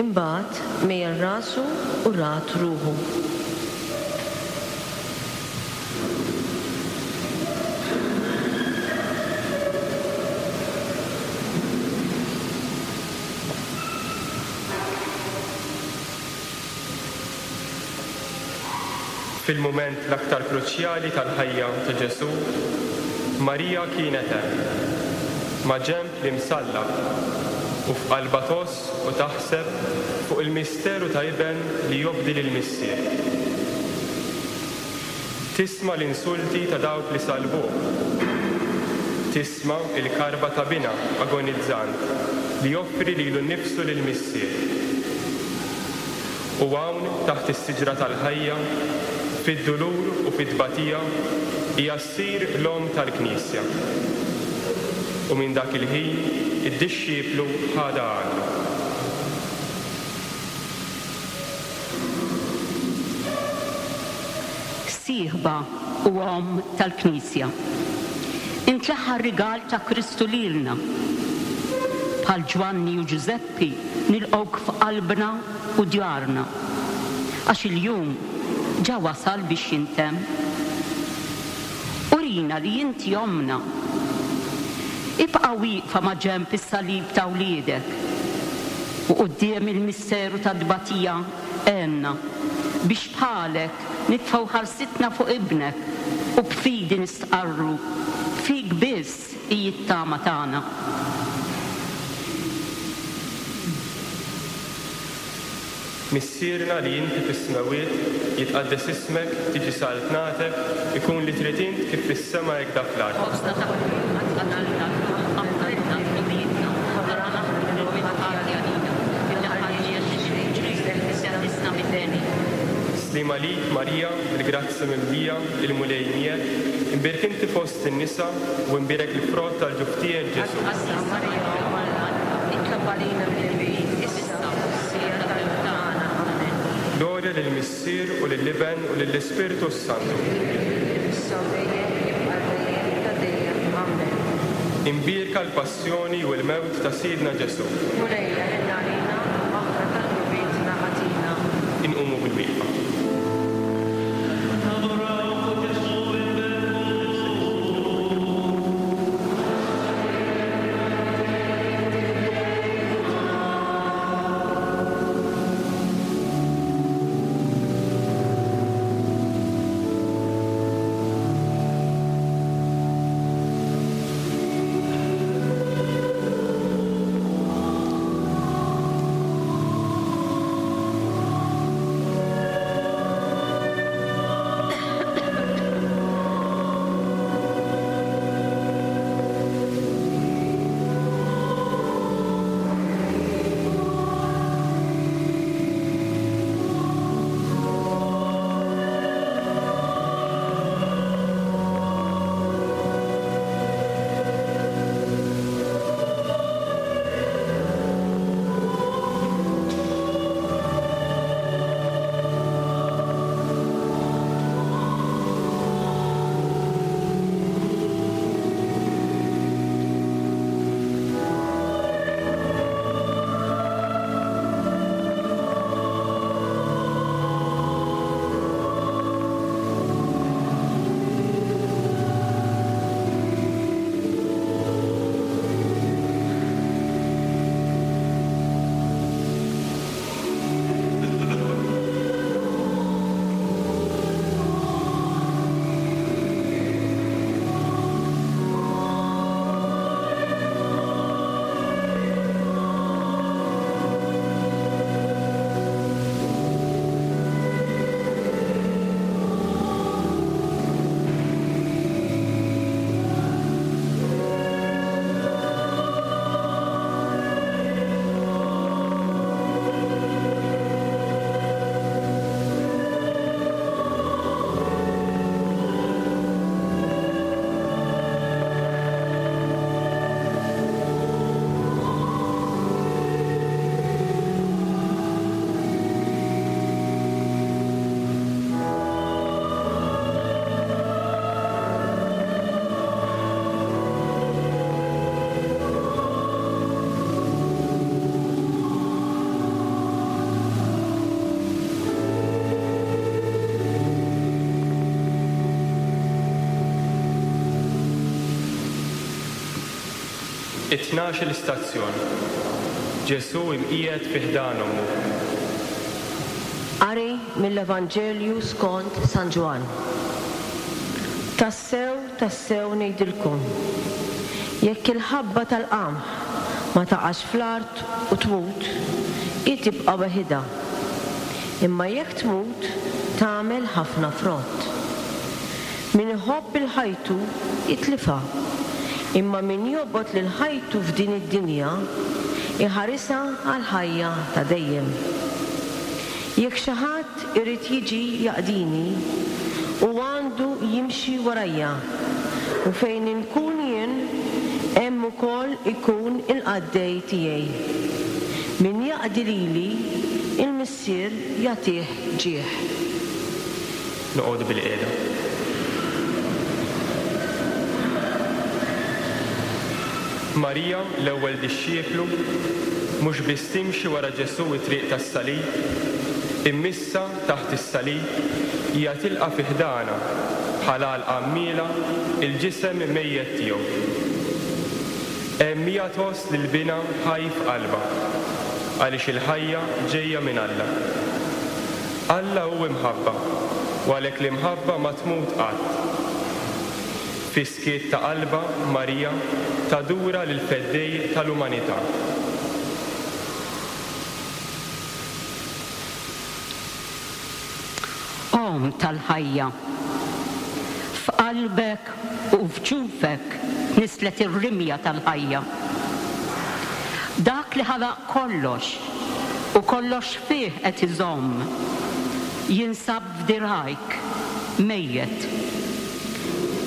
Imbagħad mejjel rasu u rat ruħu. Fil-mument l-aktar kruċjali tal-ħajja ta' Ġesù, Marija kienet hemm, ma' ġenb l-imsallab, u f'qalbha tgħożż u taħseb fuq il-misteru ta' iben li jobdi lill-Missier. Tisma' l-insulti ta' dawk li salbuh. Tisma' il-karba ta' binha agonizzant li joffri lilu nnifsu lill-Missier. U hawn taħt is-siġra tal-ħajja, fid-dulur u fit-tbatija, hija ssir l-omm tal-Knisja. U minn dak il-ħin id-dixxiplu ħadha għandu. Sieħba u omm tal-Knisja. Int l-aħħar rigal ta' Kristu lilna. Bħal Ġwanni u Ġużeppi nilqgħuk f'qalbna u djarna. Għax il-jum ġa wasal biex jintemm. Urina li inti ommna. Ibqa' wieqfa ma' ġenb is-salib ta' wliedek. U quddiem il-misteru ta' tbatija għenna biex bħalek nitfgħu ħarsitna fuq ibnek u b'fidi nistqarru fik biss hi t-tama tagħna. Missierna li inti fis-smewwiet, jitqaddes ismek, tiġi saltnatek, ikun li trid int kif fis-sema hekk dak l-art. Ħobżna ta' kuljum agħtina llum, aħfrilna dnubietna, bħalma naħfru lil min ħati għalina, iddaħħalniex f'xi ħlisna mid-deni. Slim għalik Marija, bil-grazzja mimlija, il-Mulej miegħek, imbierek inti fost in-nisa u imbierek il-frott tal-ġuf tiegħek Ġesù. Qaddsa Marija Omm Alla, itlob għalina midinbin, issa u fis-siegħa tal-mewt tagħna. Amen. Glorja lill-Missier u lill-Iben u lill-Ispirtu s-Santu. Issa u dejjem jibqa' dejjem ta' dejjem. Amen. Imbierka l-passjoni u l-mewt ta' Sidna Ġesù. Mulejja ħenn għalina u maħfra ta' dnubietna agħtina. Inqumu bil-wieqfa. It-tnax-il stazzjon. Ġesù imqiegħed fi ħdan ommu. Qari mill-Evanġelju skont San Ġwann. Tassew, tassew ngħidilkom, jekk il-ħabba tal-qamħ ma taqax fl-art u tmut, hi tibqa' weħidha. Imma jekk tmut, tagħmel ħafna frott. Min iħobb il-ħajtu jitlifha, imma min jobgħod lil ħajtu f'din id-dinja iħarisha għall-ħajja ta' dejjem. Jekk xi ħadd irid jiġi jaqdini, u għandu jimxi warajja, u fejn inkun jien, hemm ukoll ikun il-qaddej tiegħi. Min jaqdi lili, il-Missier jagħtih ġieħ. Noqogħdu bil-qiegħda. Marija, l-ewwel dixxieplu, mhux biss timxi wara Ġesù it-triq tas-salib, immissa taħt is-salib hija tilqa' fi ħdana bħala l-għammiela il-ġisem mejjet tiegħu. Hemm hija tgħożż lil binha ħaj f'qalbha, għaliex il-ħajja ġejja minn Alla. Alla hu imħabba, u għalhekk l-imħabba ma tmut qatt. Fis-skiet ta' qalbha Marija tadura lil feddej tal-umanità. Omm tal-ħajja, f'qalbek u f'ġufek nislet ir-rimja tal-ħajja. Dak li ħalaq kollox u kollox fih qed iżomm, jinsab f'dirajk mejjet.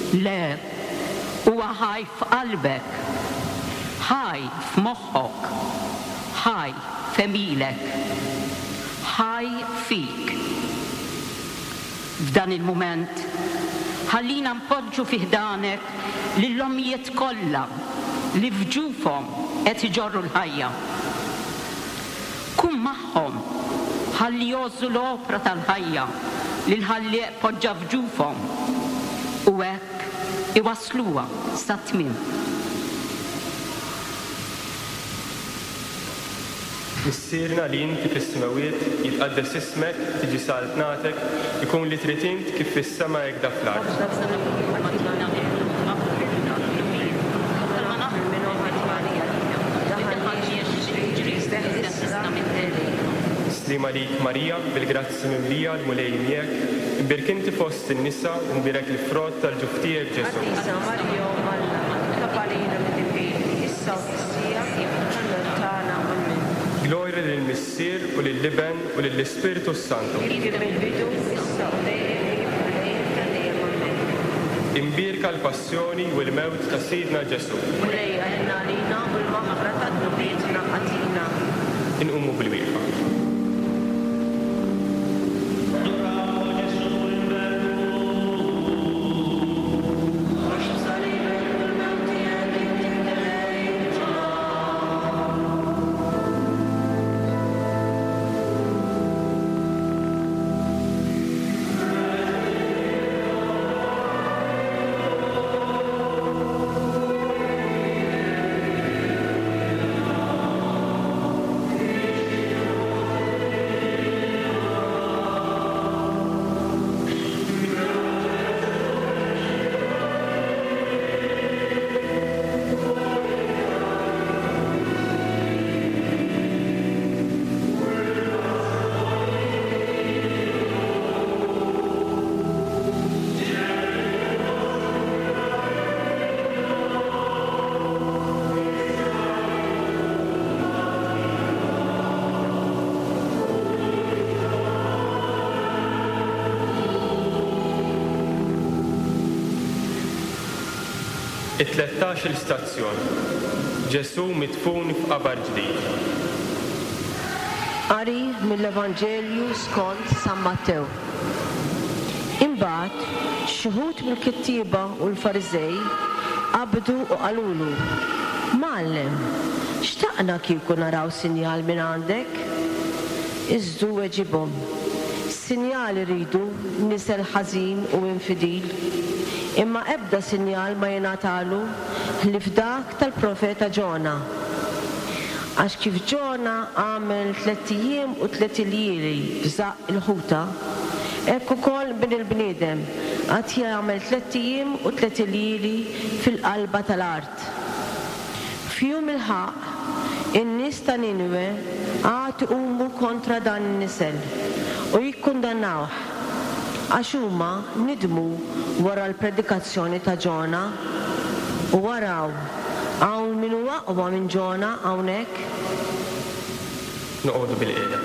Le, huwa ħaj f'qalbek, ħaj f'moħħok, ħaj f'għemilek, ħaj fik. F'dan il-mument, ħallina npoġġu fi ħdanek lill-ommijiet kollha li f'ġufhom qed iġorru l-ħajja. Kun magħhom ħalli jgħożżu l-opra tal-ħajja li l-ħallieq poġġa f'ġufhom u hekk iwassluha sat-tmiem. Missierna li inti fis-smewwiet, jitqaddes ismek, tiġi saltnatek, ikun li trid int kif fis-sema hekk da fl-art. Slima lik Marija, bil-grazzi mimlija l-Mulej miegħek, imbierek inti fost in-nisa u mbierek il-frott tal-ġuf tiegħek Ġesù. Qaddisa Marija Omm Alla, itlob għalina midinbin, issa u fis-siegħa tal-mewt tagħna. Amen. Glorja lill-Missier u lill-Iben u lill-Ispirtu s-Santu. Kif mill-bidu, issa u dejjem, u dejjem ta' dejjem. Amen. Imbierka l-passjoni u l-mewt ta' Sidna Ġesù. Mulej għalina għalina u l-maħfra ta' dnubietna agħtina. Inqumu bil-wieqfa. It-tlettax-il stazzjon. Ġesù midfun f'qabar ġdid. Qari mill-Evanġelju skont San Mattew. Imbagħad xi wħud mill-kittieba u l-Fariżej qabdu u qalulu: Mgħallem, xtaqna kieku naraw sinjal minn għandek? Iżdu weġibhom: Sinjal iridu nisel ħażin u infidil, imma ebda sinjal ma jingħatalu ħlief dak tal-profeta Ġona. Għax kif Ġona għamel tlett ijiem u tlett iljieli f'żaqq il-ħuta, hekk ukoll Bin il-bniedem għad jagħmel tlett ijiem u tlett iljieli fil-qalba tal-art. F'jum il-ħaqq, in-nies ta' Ninwe għad iqumu kontra dan in-nisel u jikkundannawh, għax huma nidmu wara l-predikazzjoni ta' Ġona. U araw, hawn min hu aqwa minn Ġona hawnhekk. Noqogħdu bilqiegħda.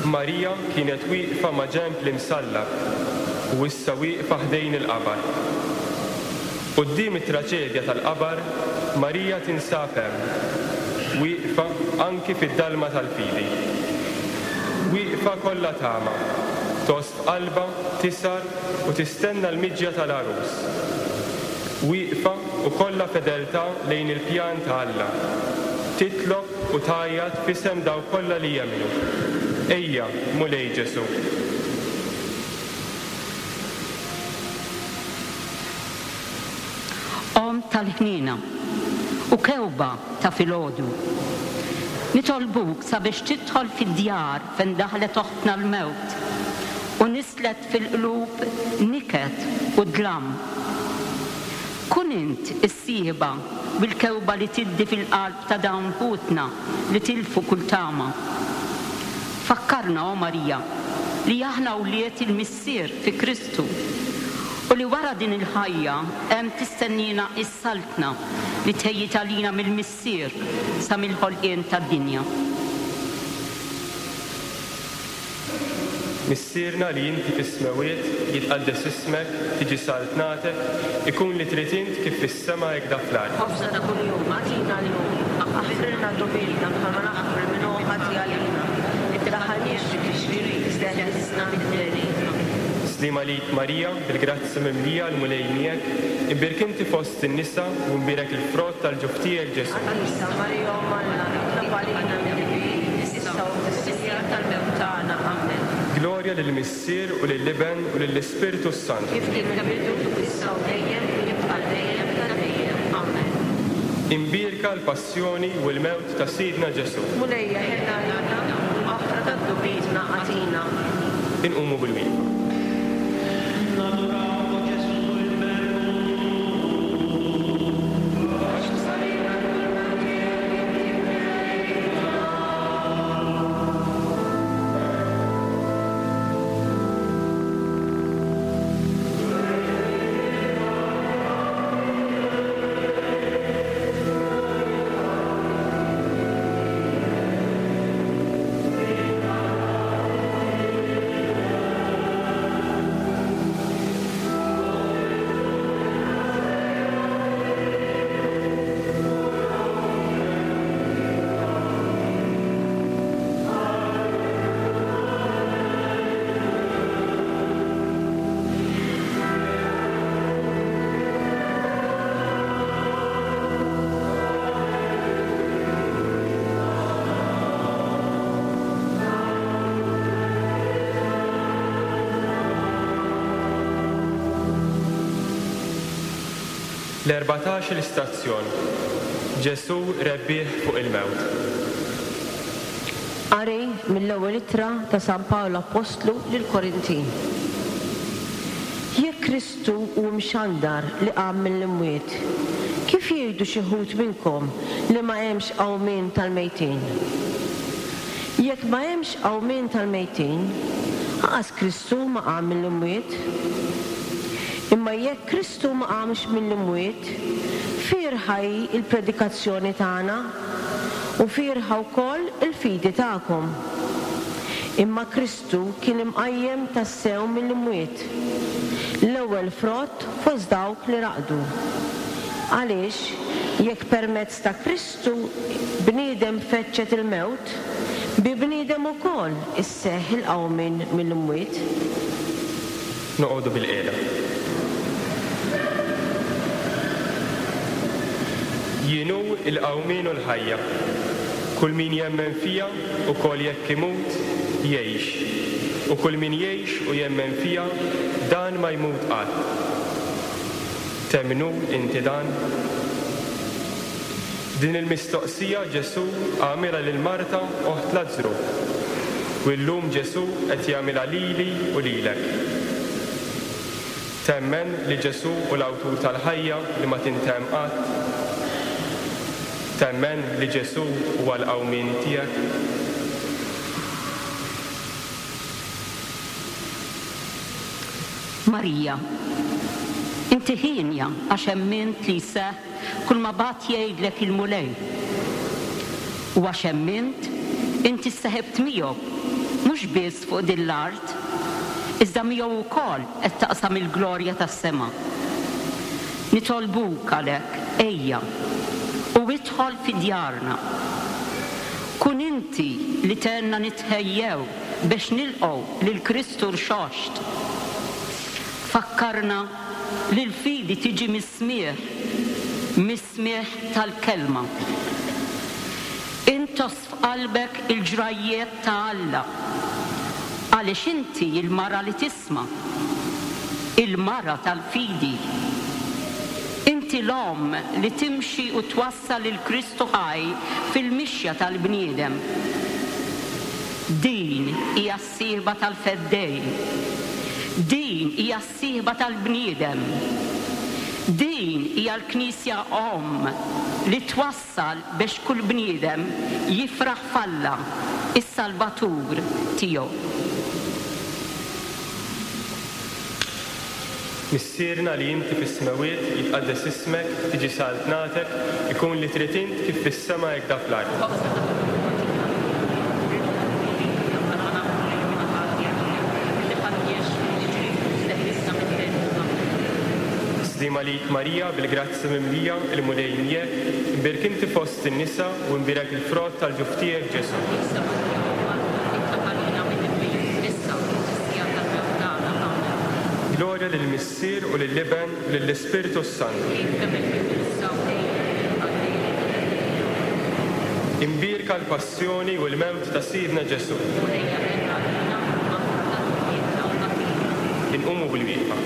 Marija kienet wieqfa ma' ġenb l-imsallab u issa wieqfa ħdejn il-qabar. Quddiem it-traġedja tal-qabar, Marija tinsab hemm, wieqfa anki fid-dalma tal-fidi. Wieqfa kollha tama, tgħożż f'qalbha, tisar u tistenna l-miġja tal-għarus. Wieqfa u kollha fedeltà lejn il-pjan ta' Alla. Titlob u tgħajjat f'isem dawk kollha li jemmnu. Ejja, Mulej Ġesù. Omm tal-ħniena u kewba ta' filgħodu, nitolbuk sabiex tidħol fid-djar fejn daħlet oħtna l-mewt u nislet fil-qlub niket u dlam. Kun int is-sieħba bil-kewba li tiddi fil-qalb ta' dawn ħutna li tilfu kull tama. Fakkarna, o Marija, li aħna wlied il-Missier fi Kristu u li wara din il-ħajja hemm tistennina s-saltna li tħejjit għalina mill-Missier sa mill-ħolqien tad-dinja. Missierna li inti fis-smewwiet, jitqaddes ismek, tiġi saltnatek, ikun li trid int kif fis-sema hekk da fl-art. Ħobżna ta' kuljum agħtina llum, aħfrilna dnubietna bħalma naħfru lil min hu ħati għalina. Iddaħħalniex fi tixrid, iżda eħlisna mid-deni. Slim għalik Marija, bil-grazzja mimlija l-Mulej miegħek, imbierek inti fost in-nisa u mbierek il-frott tal-ġuf tiegħek Ġesù. Qaddisa Marija Omm Alla, itlob għalina midinbin, issa u fis-siegħa tal-mewt tagħna. Amen. Glorja lill-Missier u lill-Iben u lill-Ispirtu s-Santu. Kif kien fil-bidu, issa u dejjem, u jibqa' dejjem ta' dejjem. Amen. Imbierka l-passjoni u l-mewt ta' Sidna Ġesù. Mulejja ħenna għalina u l-maħfra ta' dnubietna agħtina. Inqumu bil-wieqfa. L-erbatax il-istazzjon, Ġesù rebbieħ fuq il-mewt. Qari mill-ewwel ittra ta' San Pawl Apostlu lill-Korintin. Jekk Kristu hu mxandar li qam mill-imwiet, kif jgħidu xi wħud minnkom li ma hemmx qawmien tal-mejtin? Jekk ma hemmx qawmien tal-mejtin, aqas Kristu ma qam mill-imwiet. Imma jekk Kristu ma qamx mill-imwiet, fierħa hi l-predikazzjoni tagħna u fierħa wkoll il-fidi tagħkom. Imma Kristu kien imqajjem tassew mill-imwiet, l-ewwel frott fost dawk li raqdu. Għaliex jekk permezz ta' Kristu bniedem feċċet il-mewt, bi bniedem ukoll isseħħ il-qawmien mill-imwiet. Noqogħdu bilqiegħda. Jien hu l-qawmien u l-ħajja. Kull min jemmen fija ukoll jekk imut, jgħix. U kull min jgħix u jemmen fija, dan ma jmut qatt. Temmnu inti dan? Din il-mistoqsija Ġesù għamilha lil Marta oħt Lazzru. U llum Ġesù qed jagħmilha lili u lilek. Temmen li Ġesù hu l-awtur tal-ħajja li ma tintemm qatt? Temmen li Ġesù huwa l-qawmien tiegħek? Marija, inti ħienja għax emmint li jseħħ kull ma bagħat jgħidlek il-Mulej. U għax emmint, inti sseħibt miegħu, mhux biss fuq din l-art, iżda miegħu wkoll qed taqsam il-glorja tas-sema. Nitolbuk għalhekk, ejja, u idħol fi djarna. Kun inti li tgħinna nitħejjew biex nilqgħu lil Kristu rxoxt. Fakkarna li l-fidi tiġi mis-smigħ, mis-smigħ tal-kelma. Intos f'qalbek il-ġrajjiet ta' Alla, għaliex inti il-mara li tisma', il-mara tal-fidi. Inti l-omm li timxi u twassal lil Kristu ħaj fil-mixja tal-bniedem. Din hija s-sieħba tal-Feddej. Din hija s-sieħba tal-bniedem. Din hija l-Knisja omm li twassal biex kull bniedem jifraħ f'Alla, is-Salvatur tiegħu. Missierna li inti fis-smewwiet, jitqaddes ismek, tiġi saltnatek, ikun li trid int kif fis-sema hekk da fl-art. Sliem għalik Marija, bil-grazza mimlija, il-Mulej miegħek, imbierek inti fost in-nisa u imbierek il-frott tal-ġuf tiegħek Ġesù. Glorja lill-Missier u lill-Iben u lill-Ispirtu s-Santu. Imbierka l-passjoni u l-mewt ta' Sidna Ġesù. Inqumu bil-wieqfa.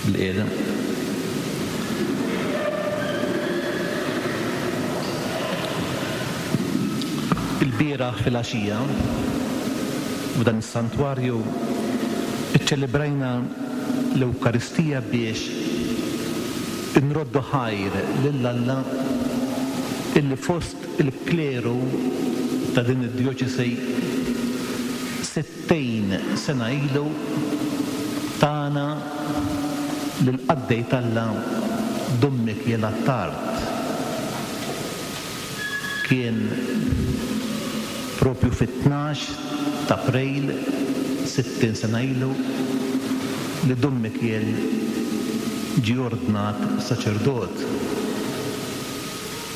Bil-qiegħda. Il-bieraħ fil-għaxija f'dan is-santwarju iċċelebrajna l-Ewkaristija biex inroddu ħajr lil Alla illi fost il-kleru ta' din id-djoċesi sittin sena ilu tana lil-qaddej t'Alla Dun Mikiel Attard. Kien propju fit-tnax ta' April sittin sena ilu li Dun Mikiel ġie ordnat saċerdot.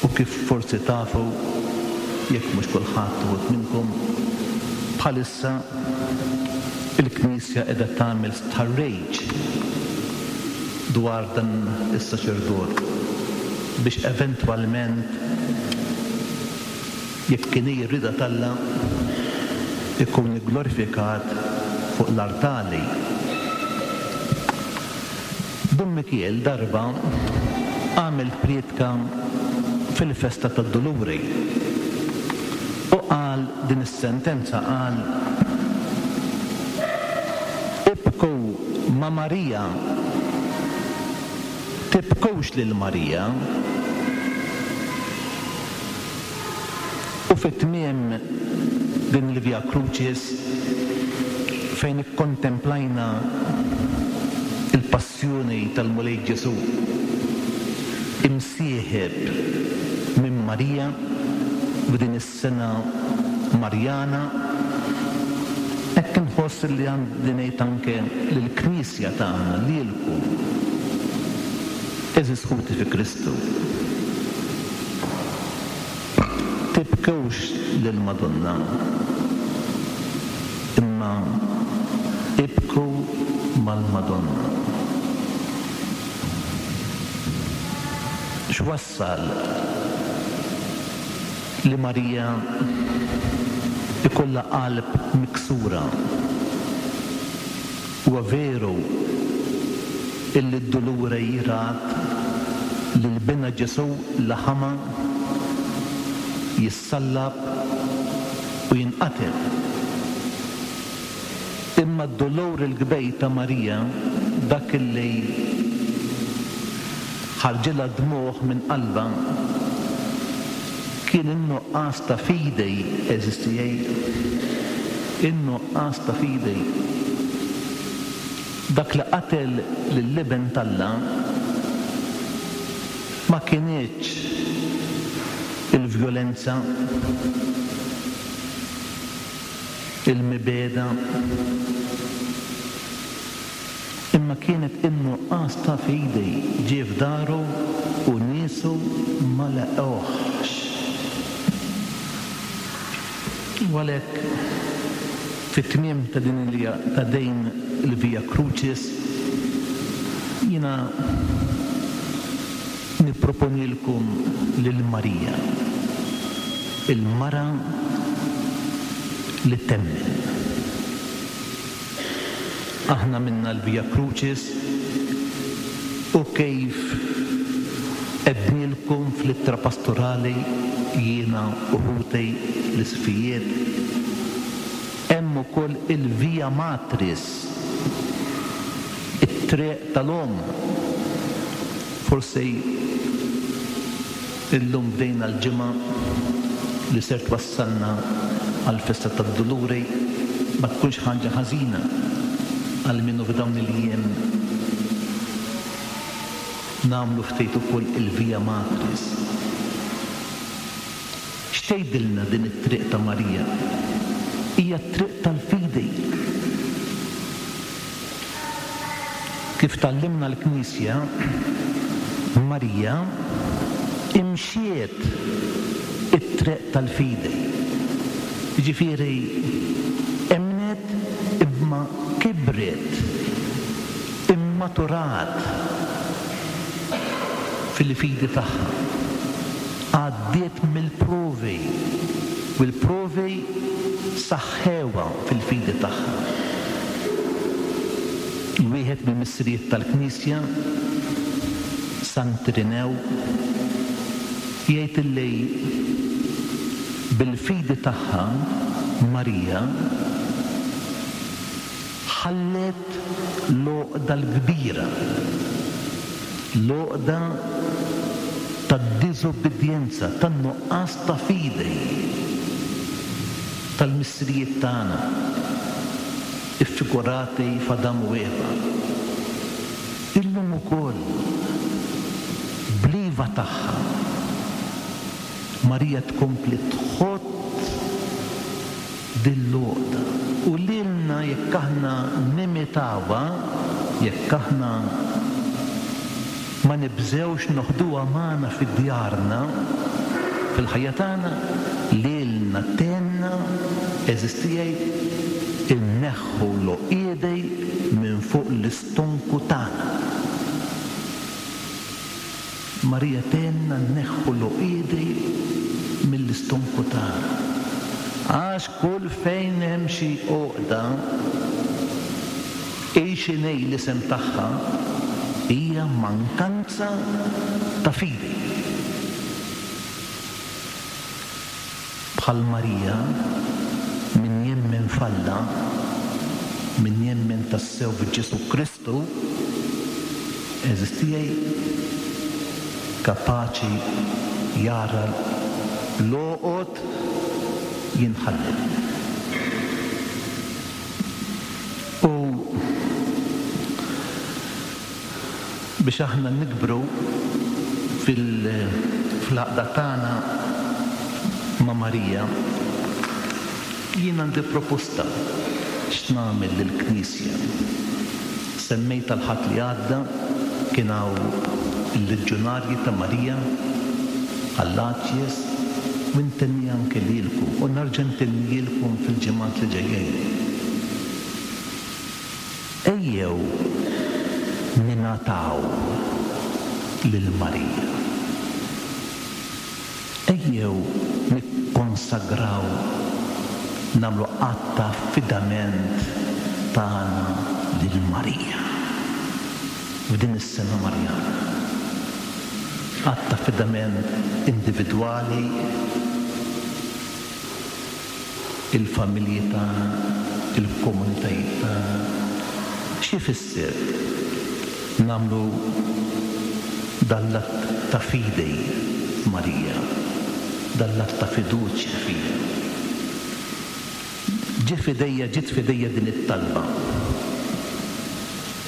U kif forsi tafu, jekk mhux kulħadd uħud minnkom, bħalissa il-Knisja qiegħda tagħmel stħarriġ dwar dan is-saċerdot biex eventwalment, jekk kien hi r-rieda t'Alla, ikun glorifikat fuq l-artali. Dun Mikiel darba għamel prietka fil-festa tad-Duluri u qal din is-sentenza, qal: ibku ma' Marija, tibkux lil Marija. U fit-tmiem din il-Via Crucis fejn ikkontemplajna il-passjoni tal-Mulej Ġesu imsieħeb minn Marija f'din is-sena Marjana, hekk inħoss li għandi ngħid anke lill-Knisja tagħna, lilkom, għeżież ħuti fi Kristu, tibkewx lill-Madonna, imma ibku mal-Madonna. X'wassal li Marija ikollha qalb miksura? Huwa veru illi d-dulure jirat lil binha Ġesu laħama jissallab u jinqatel. Imma d-dolor il-kbej ta' Marija, dak illi ħarġilha dmugħ minn qalbha, kien in-nuqqas ta' fidi, eżistijaj, in-nuqqas ta' fidi. Dak li qatel lill-Iben t'Alla ma kienx il-vjolenza, il-mibeda, imma kienet in-nuqqas ta' fidi. Ġie f'daru u niesu ma laqgħuhx. U għalhekk fit-tmiem ta' din il-, ta' din il-Via Crucis jiena nipproponilkom lil Marija, il-mara li temmen. Aħna minna l-Via Crucis u kif għednilkom fl-ittra pastorali jiena u ħuti l-isfijiet, hemm ukoll il-Via Matris, it-triq tal-omm. Forsi illum bdejna l-ġimgħa li ser twassalna għall-festa tad-Duluri, ma tkunx ħaġa ħażina għal minnu f'dawn il-jiem nagħmlu ftit ukoll il-Via Matris. X'tgħidilna din it-triq ta' Marija? Hija t-triq tal-fidi. Kif tgħallimna l-Knisja, Marija imxiet it-triq tal-fidi. Jiġifieri emnet imma kibret, immaturat fil-fidi tagħha. Għaddiet mill-provi u l-provi saħħewha fil-fidi tagħha. Wieħed mill-missirijiet tal-Knisja, Sant Irinew, jgħid illi bil-fidi tagħha Marija ħallet l-għoqda l-kbira, l-għoqda tad-diżobbedjenza, tan-nuqqas ta' fidi tal-missirijiet tagħna iffigurati f'Adam u Eva. Illum ukoll bliva tagħha Marija tkompli tħott dil-għoqda u lilna jekk aħna nimitawha, jekk aħna Ma nibżgħux noħduha magħna fi djarna, fil-ħajja tagħna, lilna tgħinna, għeżież tiegħi, inneħħu l-għoqiedi minn fuq l-istonku tagħna. Marija tgħinna nneħħu l-għoqiedi mill-istonku tagħna. Għax kull fejn hemm xi għoqda, hi x'inhi l-isem tagħha, hija mankanza ta' fidi. Bħal Marija, min jemmen f'Alla, min jemmen tassew f'Ġesù Kristu, għeżież tiegħi, kapaċi jara l-għoqod jinħallu. U biex aħna nikbru fil-għaqda tagħna ma' Marija, jien għandi proposta x'nagħmel lill-Knisja. Semmejt l-Ħadd li għadda kien hawn il-Leġjonarji ta' Marija għall-Aċjes, u ntenni anke lilkom u nerġa' ntennilkom fil-ġimgħat li ġejjin. Ejjew ninataw lil Marija. Ejjew nikkonsagraw, nagħmlu att ta' affidament tagħna lil Marija f'din is-sena Marjana. Att ta' affidament individwali, il-familji tagħna, il-komunitajiet tagħna. X'ifisser nagħmlu dan l-att ta' fidi f'Marija, dan l-att ta' fiduċja fija? Ġie f'idejja, ġiet f'idejja din it-talba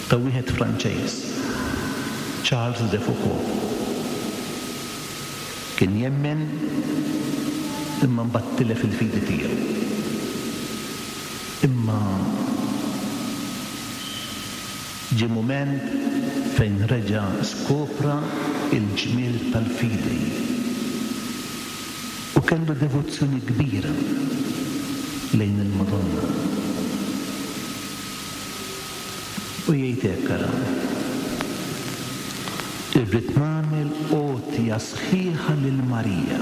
ta' wieħed Franċeż, Charles de Foucauld. Kien jemmen imma mbagħad tilef il-fidi tiegħu. Imma ġie mument fejn reġa' skopra il-ġmiel tal-fidi u kellu devozzjoni kbira lejn il-Madonna. U jgħid hekk, ara, irrid nagħmel għotja sħiħa lil Marija.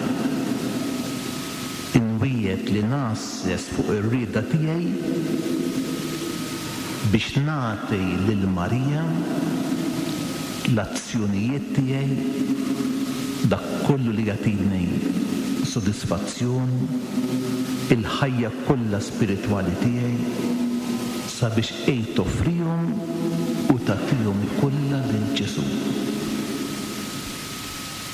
Inwiegħed li ngħasses fuq ir-rieda tiegħi biex nagħti lil Marija l-azzjonijiet tiegħi, dak kollu li jagħtini sodisfazzjon, il-ħajja kollha spiritwali tiegħi, sabiex ej toffrihom u tagħtihom kollha lil Ġesù.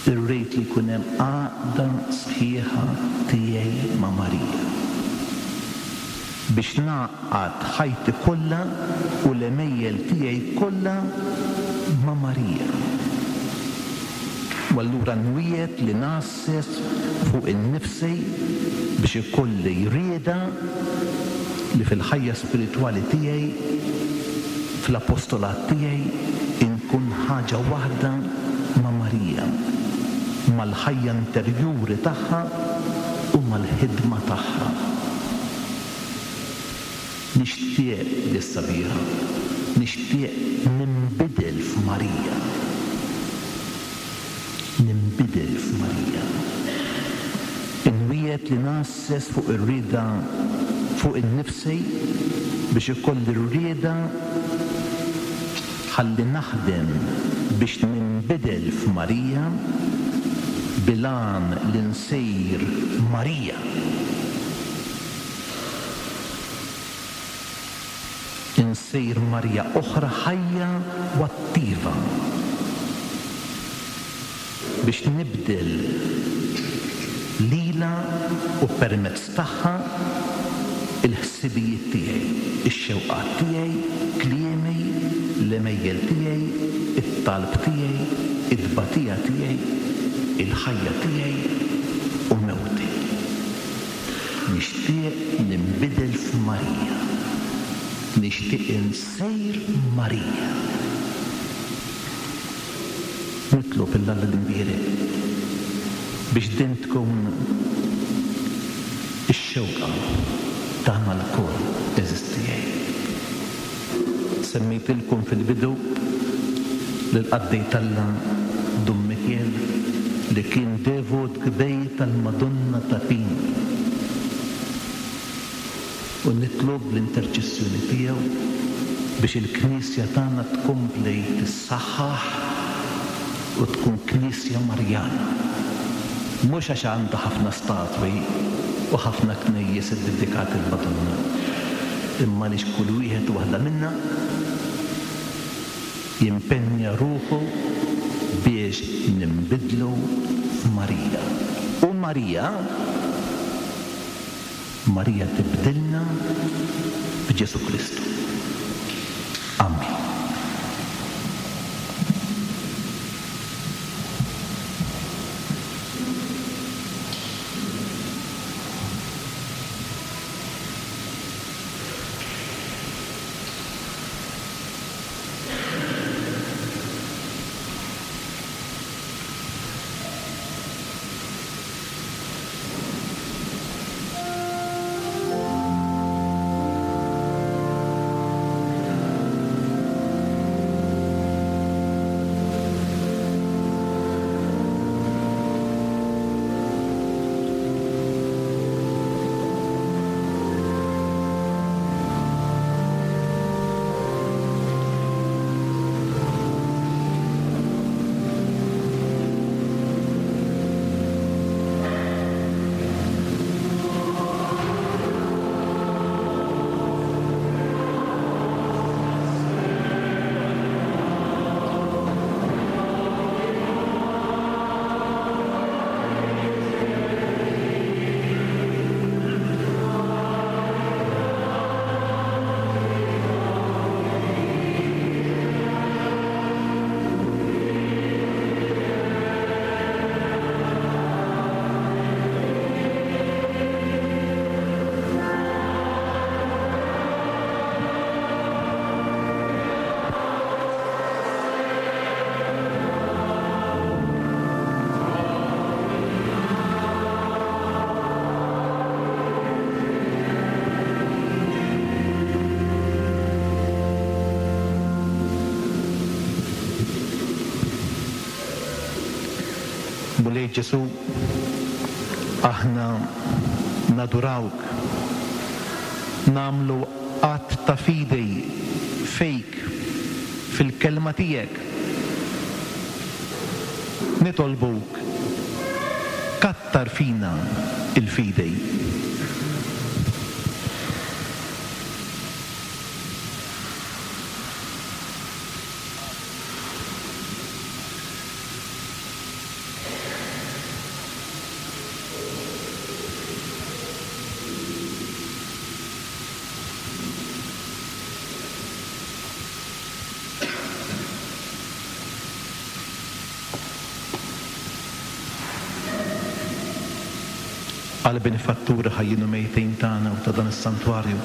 Irrid li jkun hemm għaqda sħiħa tiegħi ma' Marija biex nagħqad ħajti kollha u l-għemejjel tiegħi kollha ma' Marija. U allura nwiegħed li ngħasses fuq innifsi biex ikolli rieda li fil-ħajja spiritwali tiegħi, fl-apostolat tiegħi, inkun ħaġa waħda ma' Marija, mal-ħajja interjuri tagħha u mal-ħidma tagħha. Nixtieq li sabiħa, nixtieq ninbidel f'Marija. Ninbidel f'Marija. Inwiegħed li ngħasses fuq ir-rieda fuq innifsi biex ikolli r-rieda ħalli naħdem biex ninbidel f'Marija bil-għan li nsir Marija. Insir Marija oħra ħajja u attiva biex nibdel lila u permezz tagħha il-ħsibijiet tiegħi, ix-xewqat tiegħi, kliemi, l-għemejjel tiegħi, it-talb tiegħi, it-tbatija tiegħi, il-ħajja tiegħi u mewti. Nixtieq ninbidel f'Marija. Nixtieq insir Marija. Nitlob 'l Alla l-Imbierek biex din tkun ix-xewqa tagħna lkoll, għeżież tiegħi. Semmejtilkom fil-bidu lill-qaddej t'Alla Dun Mikiel li kien devot kbir tal-Madonna ta' Pinu. U nitlob l-interċessjoni tiegħu biex il-Knisja tagħna tkompli tissaħħaħ u tkun Knisja Marjana. Mhux għax għandha ħafna statwi u ħafna knejjes iddedikati l-Madonna, imma għaliex kull wieħed u waħda minna jimpenja ruħu biex ninbidlu f'Marija. U Marija, Marija tibdilna b'Ġesù Kristu. Amen. Mulej Ġesù, aħna nadurawk, nagħmlu att ta' fidi fik, fil-kelma tiegħek. Nitolbuk, kattar fina il-fidi. Għal benefatturi ħajjin u mejtin tagħna u ta' dan is-santwarju,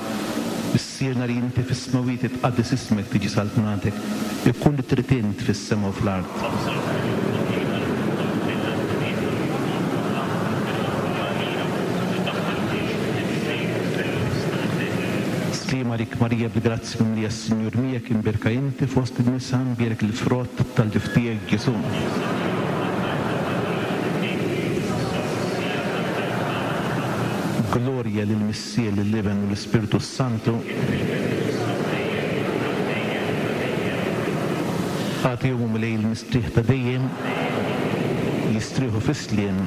Missierna li inti fis-smewwiet tqaddes ismek, tiġi saltnatek, ikun li trid int fis-sema u fl-art. Sliem għalik Marija, bil-grazzja mimlija s-Sinjur miegħek, imbierka inti fost in-nisa, imbierek il-frott tal-ġuf tiegħek Ġesù. Gloria lill-Missier, lill-Iben u l-Ispirtu Santu. Agħtihom Mulej il-mistrieħ ta' dejjem, jistrieħu fis-sliem.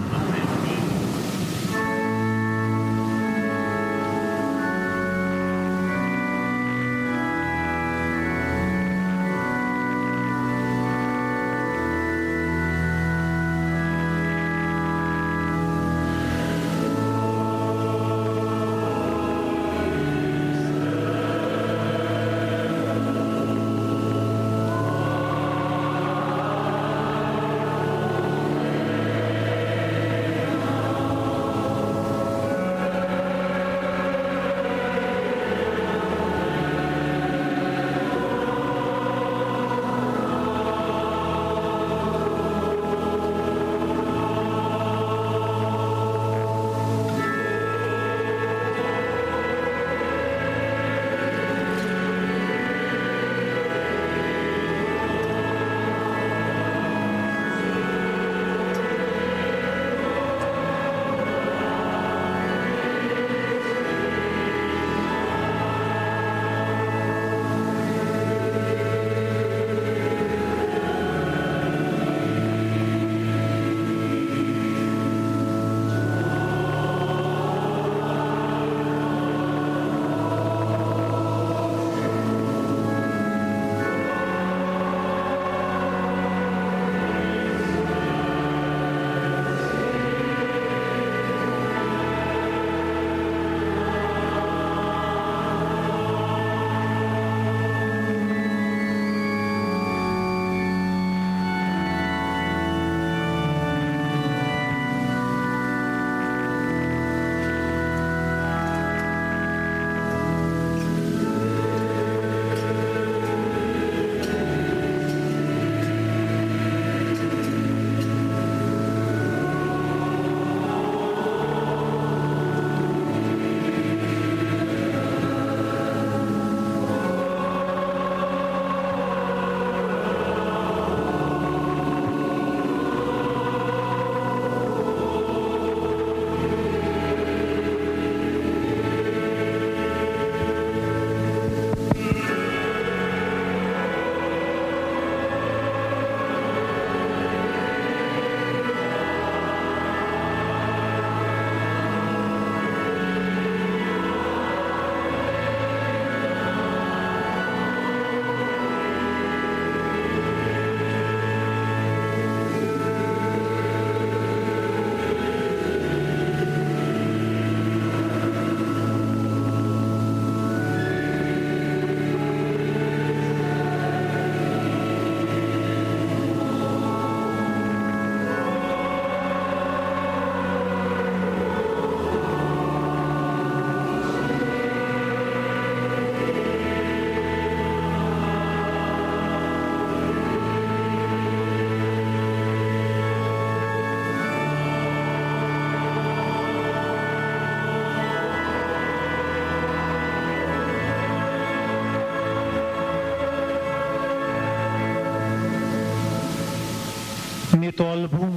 Nitolbu,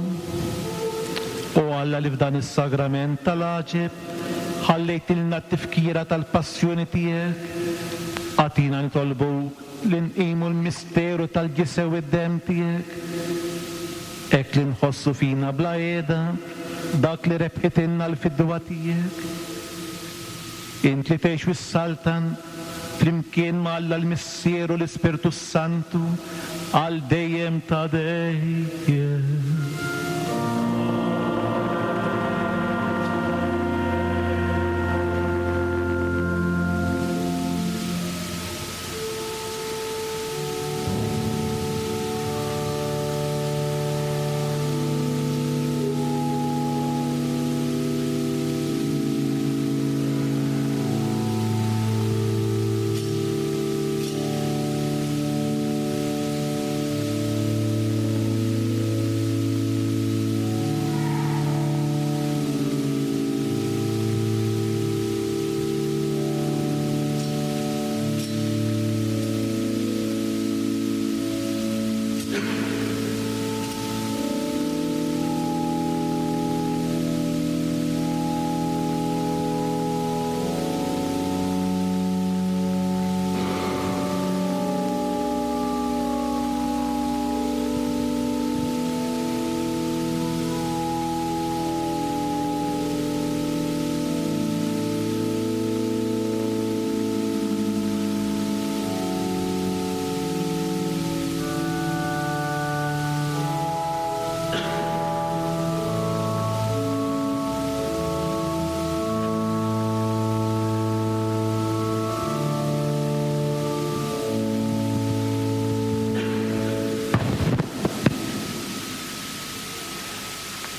o Alla li f'dan is-sagrament tal-għaġeb ħallejtilna t-tifkira tal-passjoni tiegħek, agħtina nitolbu li nqimu l-misteru tal-ġisem u d-demm tiegħek, hekk li nħossu fina bla qiegħda dak li rebħitilna l-fidwa tiegħek. Int li tgħix fis-saltan flimkien ma' Alla l-Missier u l-Ispirtu Santu għal dejjem ta' dejjem.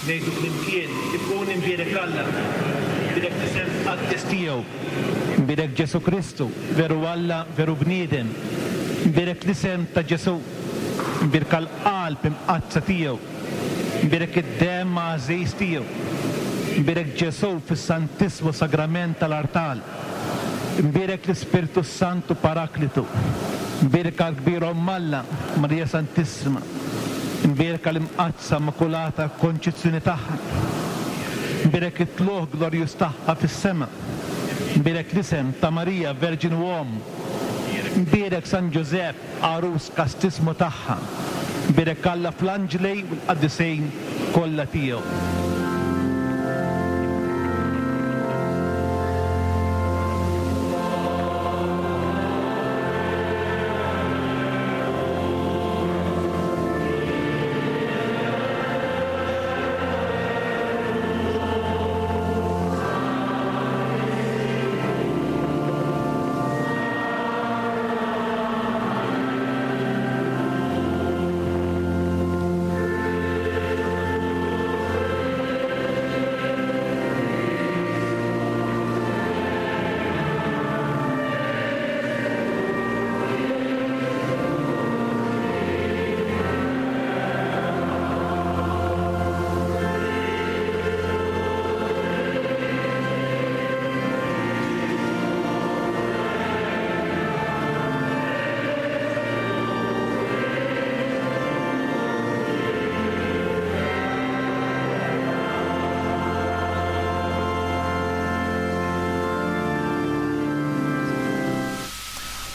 Ngħidu flimkien, ikun imbierek Alla, imbierek l-isem qaddis tiegħu, imbierek Ġesu Kristu, veru Alla, veru bniedem, imbierek l-isem ta' Ġesu, imbierka l-qalb imqaddsa tiegħu, imbierek id-demm għażiż tiegħu, imbierek Ġesu fis-Santissmu Sagrament tal-Artal, imbierek l-Ispirtu Santu Paraklitu, imbierka l-kbir Omm Alla, Marija Santissima, imbierka l-imqaddsa Immakulata Konċizzjoni tagħha, imbierek it-tlugħ glorjuż tagħha fis-sema, imbierek l-isem ta' Marija Verġin u Omm, imbierek San Ġużepp għarus kastismu tagħha, imbierek Alla fl-anġli u l-qaddisin kollha tiegħu.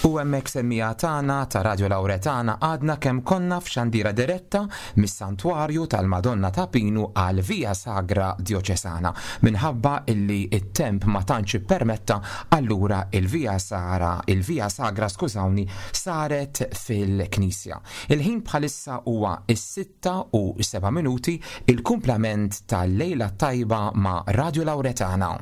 U hemmhekk semmija tagħna ta' Radio Lauretana għadna kemm konna f'xandira diretta mis-Santwarju tal-Madonna ta' Pinu għal Via Sagra Dioċesana. Minħabba illi it-temp ma tantx ippermetta, allura il-Via Sara, il-Via Sagra, skużawni, saret fil-Knisja. Il-ħin bħalissa huwa is-sitta u seba' minuti, il-kumplament tal-lejla tajba ma' Radio Lauretana.